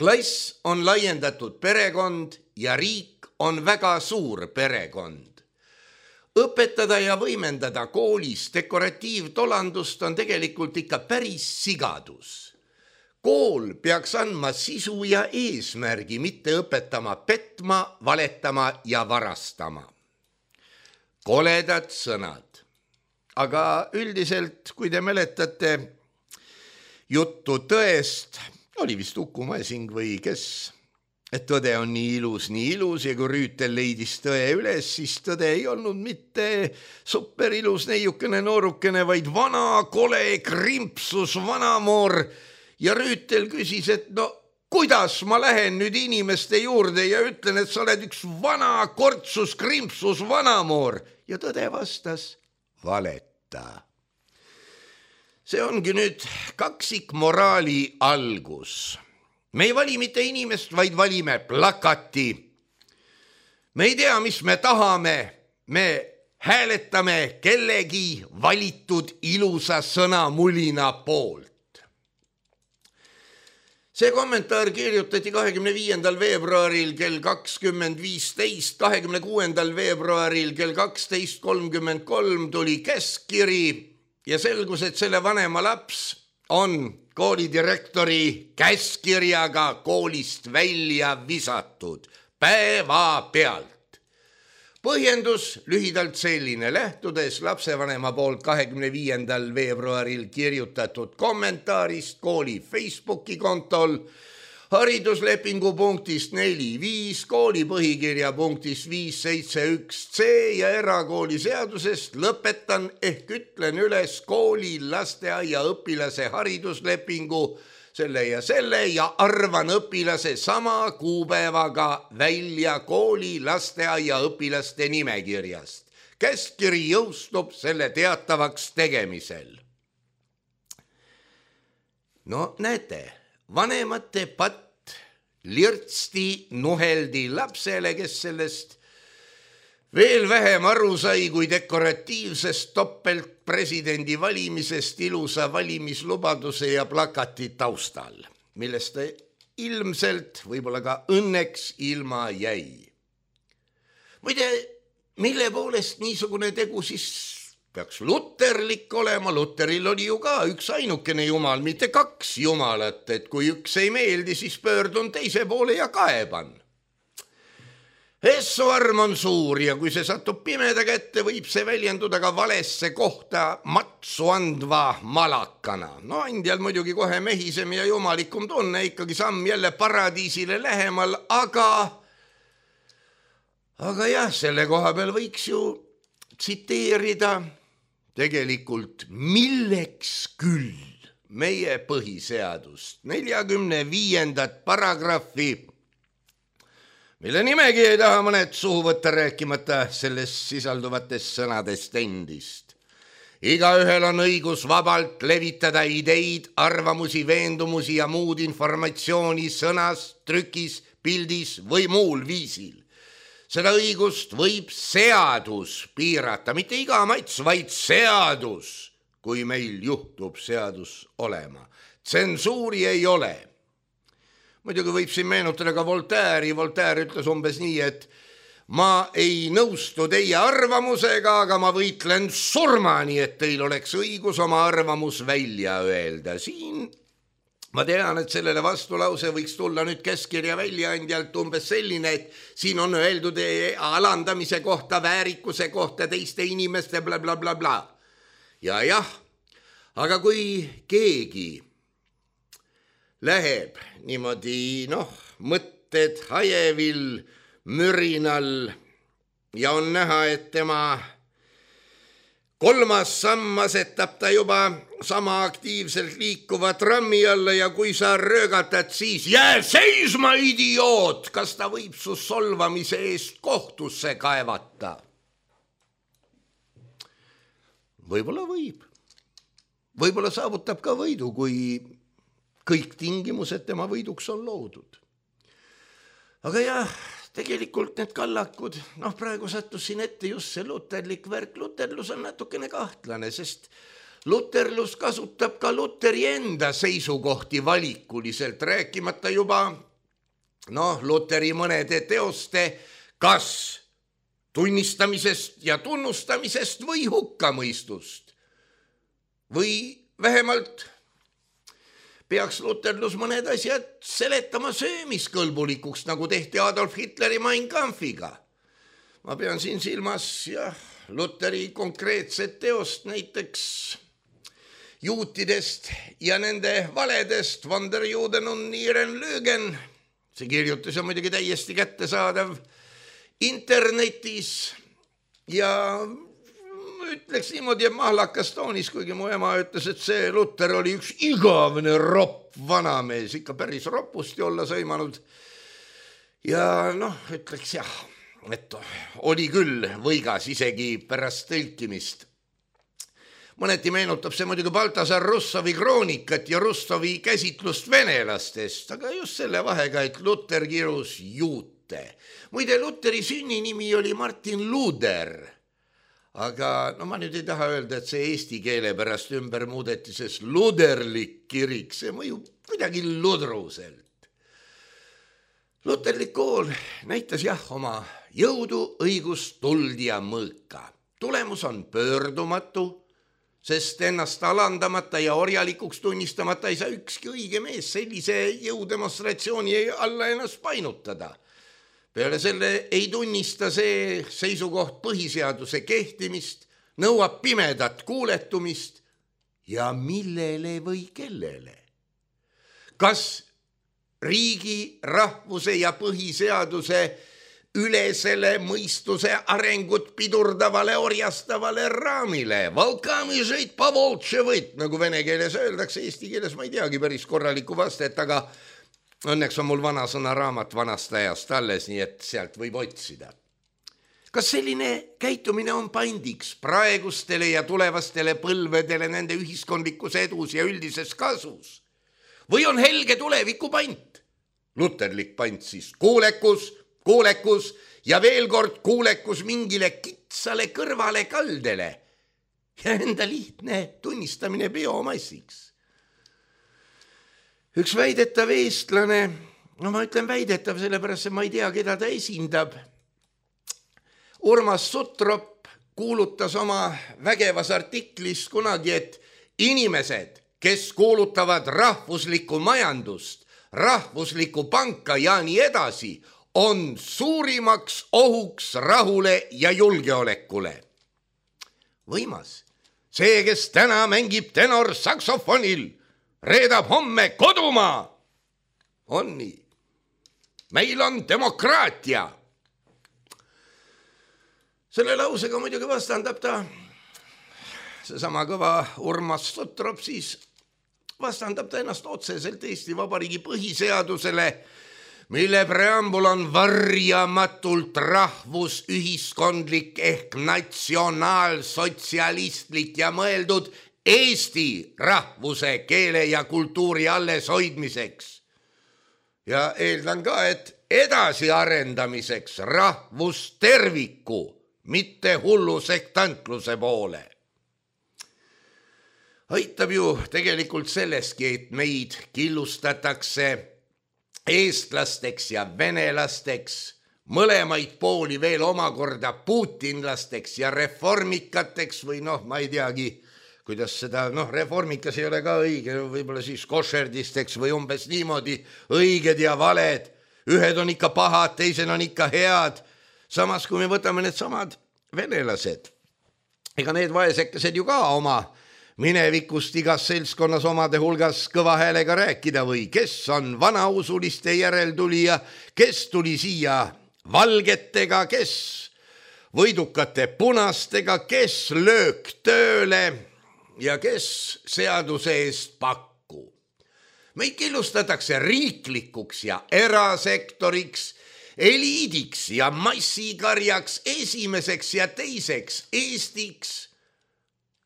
Klass on laiendatud perekond ja riik on väga suur perekond. Õpetada ja võimendada koolis dekoratiivtolandust on tegelikult ikka päris sigadus. Kool peaks andma sisu ja eesmärgi, mitte õpetama petma, valetama ja varastama. Koledad sõnad. Aga üldiselt, kui te mäletate juttu tõest, oli vist Uku Masing või kes, et tõde on nii ilus, nii ilus ja kui Rüütel leidis tõe üles, siis tõde ei olnud mitte superilus neiukene noorukene, vaid vana kole krimpsus vanamoor. Ja Rüütel küsis, et no kuidas ma lähen nüüd inimeste juurde ja ütlen, et sa oled üks vana kortsus, krimpsus vanamoor. Ja tõde vastas, valeta. See ongi nüüd kaksik moraali algus. Me ei vali mitte inimest, vaid valime plakati. Me ei tea, mis me tahame. Me hääletame kellegi valitud ilusa sõnamulina poolt. See kommentaar kirjutati kahekümne viiendal veebruaril kell kakskümmend viisteist, kahekümne kuuendal veebruaril kell kaksteist kolmkümmend kolm tuli käskkiri ja selgus, et selle vanema laps on koolidirektori käskkirjaga koolist välja visatud päevapealt. Põhjendus lühidalt selline, lähtudes lapsevanema poolt kahekümne viiendal veebruaril kirjutatud kommentaarist kooli Facebooki kontol, hariduslepingu punktist neli viis, kooli põhikirja punktist viis seitse üks C ja erakooli seadusest lõpetan ehk ütlen üles kooli lasteaia õpilase hariduslepingu selle ja selle ja arvan õpilase sama kuupäevaga välja kooli lasteaia õpilaste nimekirjast. Käskkiri jõustub selle teatavaks tegemisel. No näete, vanemate patt lirtsti nuheldi lapsele, kes sellest veel vähem aru sai kui dekoratiivsest topelt presidendi valimisest ilusa valimislubaduse ja plakati taustal, millest ta ilmselt, võib-olla ka õnneks ilma jäi. Muide, mille poolest niisugune tegu siis peaks luterlik olema? Luteril oli ju ka üks ainukene jumal, mitte kaks jumalat, et kui üks ei meeldi, siis pöördun teise poole ja kaeban. Essu arm on suur ja kui see satub pimeda kätte, võib see väljenduda ka valesse kohta matsu andva malakana. No andjal muidugi kohe mehisem ja jumalikum tunne, ikkagi samm jälle paradiisile lähemal, aga aga jah, selle koha peal võiks ju tsiteerida tegelikult milleks küll meie põhiseadust, neljakümne viiendat paragrahvi, mille nimegi ei taha mõned suhu võtta, rääkimata selles sisalduvatest sõnadest endist. Igaühel on õigus vabalt levitada ideid, arvamusi, veendumusi ja muud informatsiooni sõnas, trükis, pildis või muul viisil. Seda õigust võib seadus piirata, mitte iga mats, vaid seadus, kui meil juhtub seadus olema. Tsensuuri ei ole. Muidugi võib siin meenutada ka Voltaire'i. Voltaire ütles umbes nii, et ma ei nõustu teie arvamusega, aga ma võitlen surmani, et teil oleks õigus oma arvamus välja öelda. Siin ma tean, et sellele vastulause võiks tulla nüüd käskkirja väljaandjalt umbes selline, et siin on öeldud alandamise kohta, väärikuse kohta, teiste inimeste bla bla bla bla. Ja jah, aga kui keegi läheb niimoodi, noh, mõtted hajevil, mürinal ja on näha, et tema kolmas samm asetab ta juba sama aktiivselt liikuva trammi alla ja kui sa röögatad, siis jää seisma, idioot, kas ta võib su solvamise eest kohtusse kaevata? Võib-olla võib. Võib-olla saavutab ka võidu, kui kõik tingimused tema võiduks on loodud. Aga jah, tegelikult need kallakud, noh praegu sattus siin ette just see luterlik värk. Luterlus on natukene kahtlane, sest luterlus kasutab ka Luteri enda seisukohti valikuliselt, rääkimata juba noh, Luteri mõnede teoste kas tunnistamisest ja tunnustamisest või hukkamõistust. Või vähemalt peaks luterlus mõned asjad seletama söömiskõlbulikuks, nagu tehti Adolf Hitleri Mein Kampfiga. Ma pean siin silmas jah, Luteri konkreetset teost, näiteks juutidest ja nende valedest von der Juden und ihren Lügen. See kirjutus on muidugi täiesti kättesaadav internetis ja ütleks niimoodi, et mahlakas toonis, kuigi mu ema ütles, et see Luter oli üks igavene ropp vanamees, ikka päris ropusti olla sõimanud. Ja noh, ütleks jah, et oli küll võigas isegi pärast tõlkimist. Mõneti meenutab see muidugi Baltasar Russovi kroonikat ja Russovi käsitlust venelastest, aga just selle vahega, et Luter kirus juute. Muide, Luteri sünninimi oli Martin Luder. Aga no ma nüüd ei taha öelda, et see eesti keele pärast ümber muudeti, sest luderlik kirik, see mõjub kuidagi ludruselt. Luterlik kool näitas jah oma jõudu, õigust, tuld ja mõõka. Tulemus on pöördumatu, sest ennast alandamata ja orjalikuks tunnistamata ei saa ükski õige mees sellise jõudemonstratsiooni alla ennast painutada. Peale selle ei tunnista see seisukoht põhiseaduse kehtimist, nõuab pimedat kuuletumist ja millele või kellele. Kas riigi, rahvuse ja põhiseaduse ülesele mõistuse arengut pidurdavale orjastavale raamile? Valkami žeit pavoltše võit, nagu vene keeles öeldakse, eesti keeles ma ei teagi päris korralikku vastet, aga õnneks on mul vana sõna raamat vanast ajast alles, nii et sealt võib otsida. Kas selline käitumine on pandiks praegustele ja tulevastele põlvedele nende ühiskondlikus edus ja üldises kasus? Või on helge tuleviku pant? Luterlik pant siis kuulekus, kuulekus ja veel kord kuulekus mingile kitsale kõrvale kaldele ja enda lihtne tunnistamine biomassiks. Üks väidetav eestlane, no ma ütlen väidetav, sellepärast et ma ei tea, keda ta esindab. Urmas Sutrop kuulutas oma vägevas artiklis kunagi, et inimesed, kes kuulutavad rahvuslikku majandust, rahvuslikku panka ja nii edasi, on suurimaks ohuks rahule ja julgeolekule. Võimas. See, kes täna mängib tenor saksofonil, reedab homme kodumaa. On nii. Meil on demokraatia. Selle lausega muidugi vastandab ta, seesama kõva Urmas Sutrop siis, vastandab ta ennast otseselt Eesti Vabariigi põhiseadusele, mille preambul on varjamatult rahvusühiskondlik ehk natsionaalsotsialistlik ja mõeldud Eesti rahvuse, keele ja kultuuri alles hoidmiseks. Ja eeldan ka, et edasi arendamiseks rahvusterviku, mitte hullu sektantluse poole. Aitab ju tegelikult selleski, et meid killustatakse eestlasteks ja venelasteks, mõlemaid pooli veel omakorda putinlasteks ja reformikateks või noh, ma ei teagi, kuidas seda, noh, reformikas ei ole ka õige, võib-olla siis košerdisteks või umbes niimoodi, õiged ja valed, ühed on ikka pahad, teised on ikka head, samas kui me võtame need samad venelased, ega need vaesekesed ju ka oma minevikust igas seltskonnas omade hulgas kõva häälega rääkida või kes on vanausuliste järeltulija, kes tuli siia valgetega, kes võidukate punastega, kes löök tööle ja kes seaduse eest pakku. Meid killustatakse riiklikuks ja erasektoriks, eliidiks ja massikarjaks, esimeseks ja teiseks Eestiks.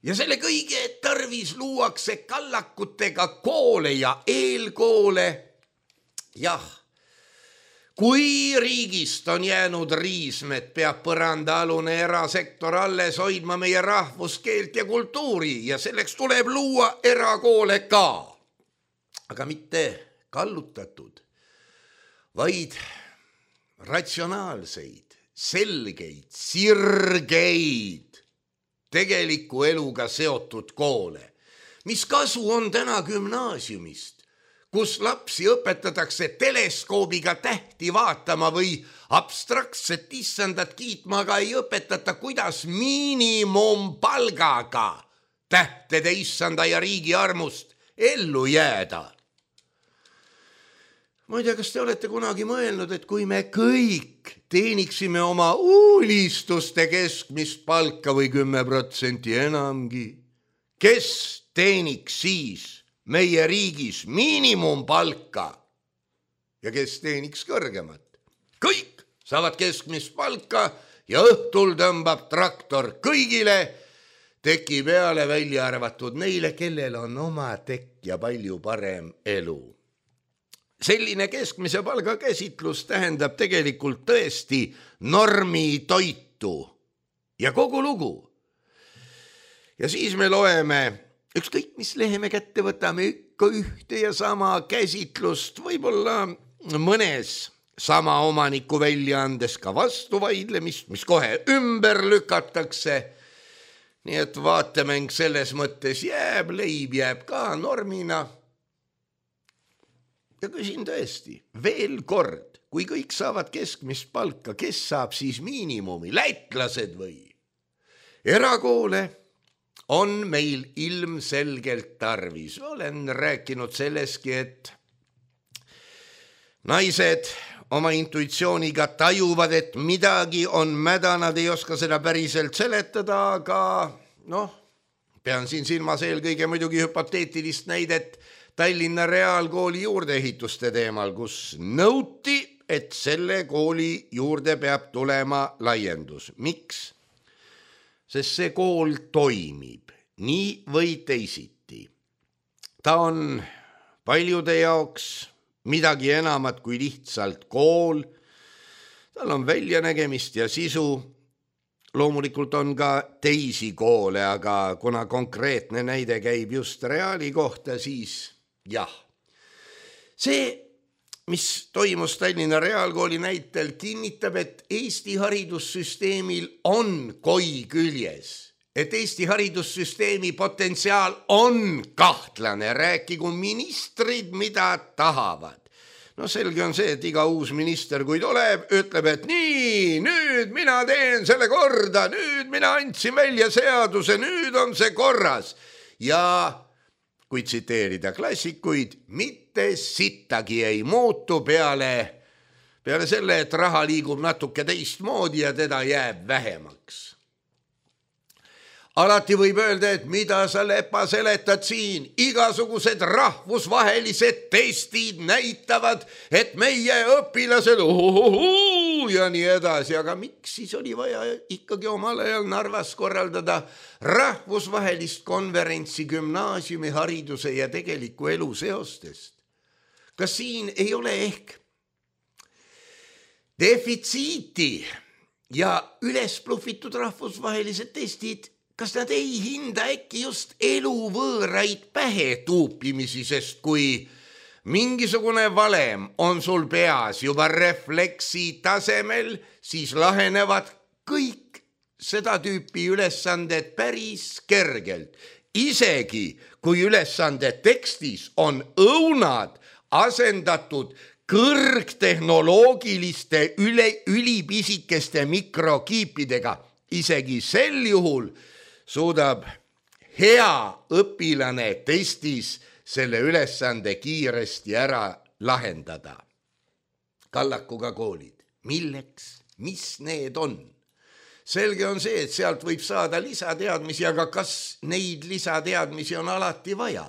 Ja selle kõige tarvis luuakse kallakutega koole ja eelkoole. Jah, kui riigist on jäänud riismed, peab põrandaalune erasektor alles hoidma meie rahvuskeelt ja kultuuri ja selleks tuleb luua erakoole ka. Aga mitte kallutatud, vaid ratsionaalseid, selgeid, sirgeid, tegeliku eluga seotud koole. Mis kasu on täna gümnaasiumist, kus lapsi õpetatakse teleskoobiga tähti vaatama või abstraktset issandat kiitma, aga ei õpetata, kuidas miinimumpalgaga tähtede issanda ja riigi armust ellu jääda. Ma ei tea, kas te olete kunagi mõelnud, et kui me kõik teeniksime oma unistuste keskmist palka või kümme protsenti enamgi, kes teeniks siis meie riigis miinimumpalka ja kes teeniks kõrgemat? Kõik saavad keskmist palka ja õhtul tõmbab traktor kõigile teki peale, välja arvatud neile, kellel on oma tekk ja palju parem elu. Selline keskmise palga käsitlus tähendab tegelikult tõesti normi toitu ja kogu lugu. Ja siis me loeme, ükskõik mis lehe me kätte võtame, ikka ühte ja sama käsitlust, võib-olla mõnes sama omaniku väljaandes ka vastuvaidlemist, mis kohe ümber lükatakse. Nii et vaatemäng selles mõttes jääb, leib jääb ka normina. Ja küsin tõesti, veel kord, kui kõik saavad keskmist palka, kes saab siis miinimumi, lätlased või? Erakoole on meil ilmselgelt tarvis. Olen rääkinud selleski, et naised oma intuitsiooniga tajuvad, et midagi on mäda, nad ei oska seda päriselt seletada, aga noh, pean siin silmas eelkõige muidugi hüpoteetilist näidet Tallinna Reaalkooli juurdeehituste teemal, kus nõuti, et selle kooli juurde peab tulema laiendus. Miks? Sest see kool toimib nii või teisiti. Ta on paljude jaoks midagi enamat kui lihtsalt kool. Tal on väljanägemist ja sisu. Loomulikult on ka teisi koole, aga kuna konkreetne näide käib just Reaali kohta, siis jah. See, mis toimus Tallinna Reaalkooli näitel, kinnitab, et Eesti haridussüsteemil on koi küljes, et Eesti haridussüsteemi potentsiaal on kahtlane, rääkigu ministrid, mida tahavad. No selge on see, et iga uus minister, kui tuleb, ütleb, et nii, nüüd mina teen selle korda, nüüd mina andsin välja seaduse, nüüd on see korras. Ja kui tsiteerida klassikuid, mitte sittagi ei muutu peale, peale selle, et raha liigub natuke teistmoodi ja teda jääb vähemaks. Alati võib öelda, et mida sa lepa seletad siin, igasugused rahvusvahelised testid näitavad, et meie õpilased uhuhuhu ja nii edasi, aga miks siis oli vaja ikkagi omal ajal Narvas korraldada rahvusvahelist konverentsi gümnaasiumi hariduse ja tegeliku elu seostest? Kas siin ei ole ehk defitsiiti ja üles pluffitud rahvusvahelised testid? Kas nad ei hinda äkki just eluvõõraid pähe tuupimisi, sest kui mingisugune valem on sul peas juba refleksi tasemel, siis lahenevad kõik seda tüüpi ülesanded päris kergelt. Isegi kui ülesande tekstis on õunad asendatud kõrgtehnoloogiliste üle, ülipisikeste mikrokiipidega, isegi sel juhul suudab hea õpilane testis selle ülesande kiiresti ära lahendada. Kallakuga koolid. Milleks? Mis need on? selge on see, et sealt võib saada lisateadmisi, aga kas neid lisateadmisi on alati vaja?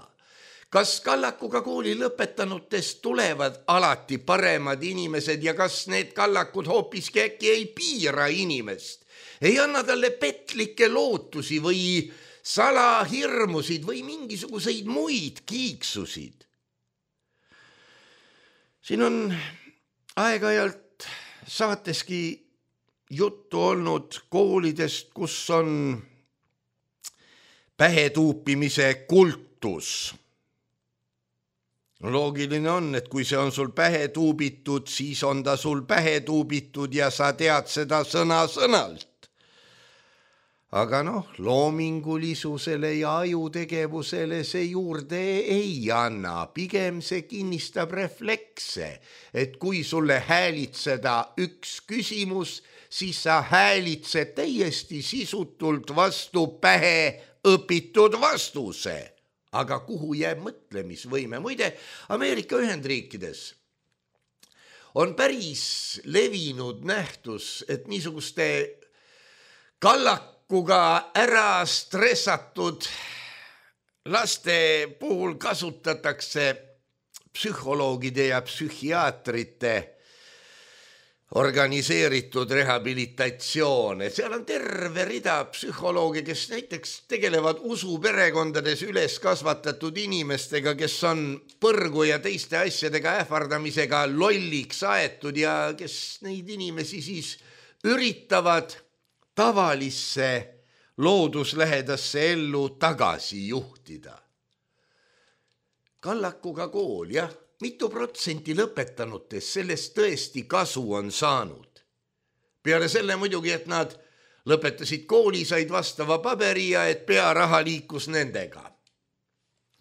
Kas Kallakuga kooli lõpetanutest tulevad alati paremad inimesed ja kas need Kallakud hoopiski äkki ei piira inimest? Ei anna talle petlikke lootusi või salahirmusid või mingisuguseid muid kiiksusid? Siin on aeg-ajalt saateski juttu olnud koolidest, kus on pähetuupimise kultus. Loogiline on, et kui see on sul pähe tuubitud, siis on ta sul pähe tuubitud ja sa tead seda sõna sõnalt. Aga noh, loomingulisusele ja ajutegevusele see juurde ei anna, pigem see kinnistab reflekse, et kui sulle häälitseda üks küsimus, siis sa häälitsed täiesti sisutult vastu pähe õpitud vastuse. Aga kuhu jääb mõtlemisvõime? Muide, Ameerika Ühendriikides on päris levinud nähtus, et niisuguste kallakuga ära stressatud laste puhul kasutatakse psühholoogide ja psühhiaatrite organiseeritud rehabilitatsioon. Seal on terve rida psühholooge, kes näiteks tegelevad usuperekondades üles kasvatatud inimestega, kes on põrgu ja teiste asjadega ähvardamisega lolliks aetud ja kes neid inimesi siis üritavad tavalisse looduslähedasse ellu tagasi juhtida. Kallakuga kool, jah. Mitu protsenti lõpetanutes sellest tõesti kasu on saanud. Peale selle muidugi, et nad lõpetasid kooli, said vastava paberi ja et pearaha liikus nendega.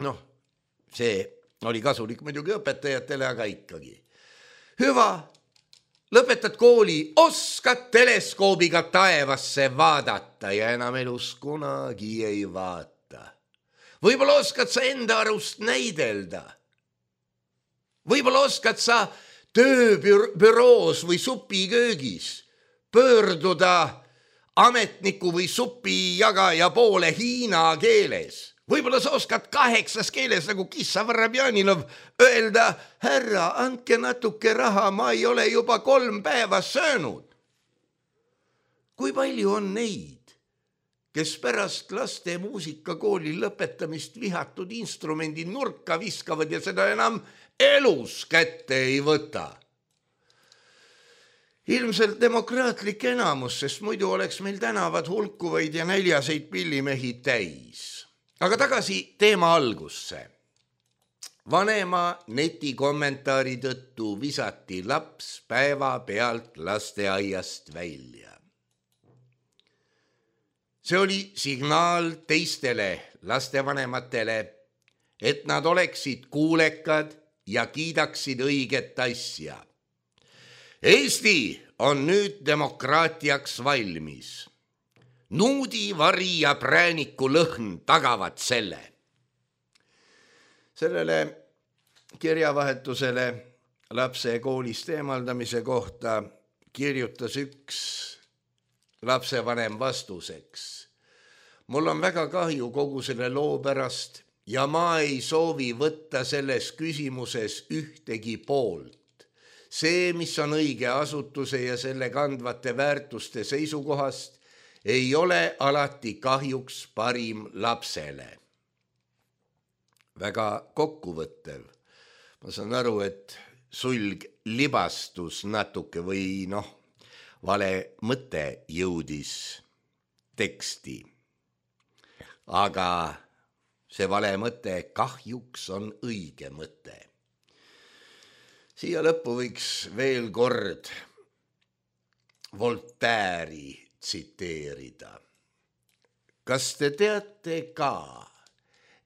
Noh, see oli kasulik muidugi õpetajatele, aga ikkagi. Hüva, lõpetad kooli, oskad teleskoobiga taevasse vaadata ja enam elus kunagi ei vaata. Võib-olla oskad sa enda arust näidelda. Võib-olla oskad sa tööbüroos või supiköögis pöörduda ametniku või supijagaja poole hiina keeles. Võib-olla sa oskad kaheksas keeles nagu Kissa Varabjaninov öelda, härra, andke natuke raha, ma ei ole juba kolm päeva söönud. Kui palju on neid, kes pärast laste muusikakooli lõpetamist vihatud instrumendi nurka viskavad ja seda enam elus kätte ei võta? Ilmselt demokraatlik enamus, sest muidu oleks meil tänavad hulkuvaid ja näljaseid pillimehi täis. Aga tagasi teema algusse. Vanema netikommentaari tõttu visati laps päeva pealt lasteaiast välja. See oli signaal teistele lastevanematele, et nad oleksid kuulekad ja kiidaksid õiget asja. Eesti on nüüd demokraatiaks valmis. Nuudi, vari ja prääniku lõhn tagavad selle. Sellele kirjavahetusele lapse koolist eemaldamise kohta kirjutas üks lapsevanem vastuseks. Mul on väga kahju kogu selle loo pärast ja ma ei soovi võtta selles küsimuses ühtegi poolt. See, mis on õige asutuse ja selle kandvate väärtuste seisukohast, ei ole alati kahjuks parim lapsele. Väga kokkuvõttev. Ma saan aru, et sulg libastus natuke või noh, vale mõte jõudis teksti. Aga see vale mõte kahjuks on õige mõte. Siia lõppu võiks veel kord Voltaire'i tsiteerida. Kas te teate ka,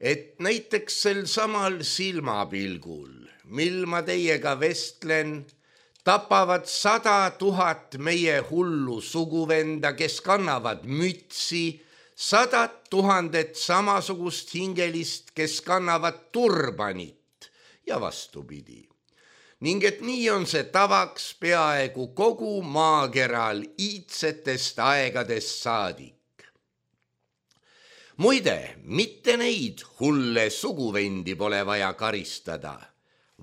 et näiteks sel samal silmapilgul, mil ma teiega vestlen, tapavad sada tuhat meie hullu suguvenda, kes kannavad mütsi, sadat tuhandet samasugust hingelist, kes kannavad turbanit ja vastupidi. ning et nii on see tavaks peaaegu kogu maakeral iidsetest aegadest saadik. Muide, mitte neid hulle suguvendi pole vaja karistada,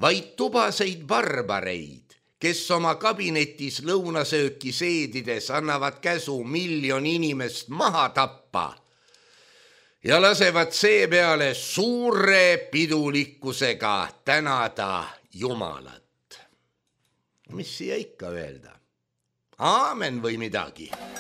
vaid tubaseid barbareid, kes oma kabinetis lõunasööki seedides annavad käsu miljon inimest maha tappa ja lasevad seepeale suure pidulikkusega tänada Jumalat. Mis siia ikka öelda? Aamen või midagi? Oh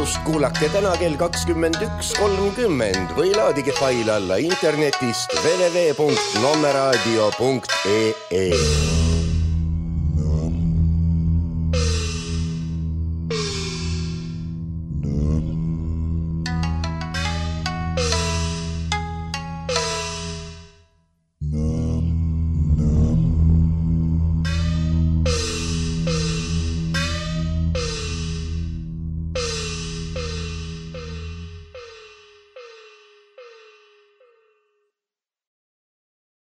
salvestust kuulake täna kell kakskümmend üks kolmkümmend või laadige fail alla internetist w w w punkt nommeraadio punkt e e.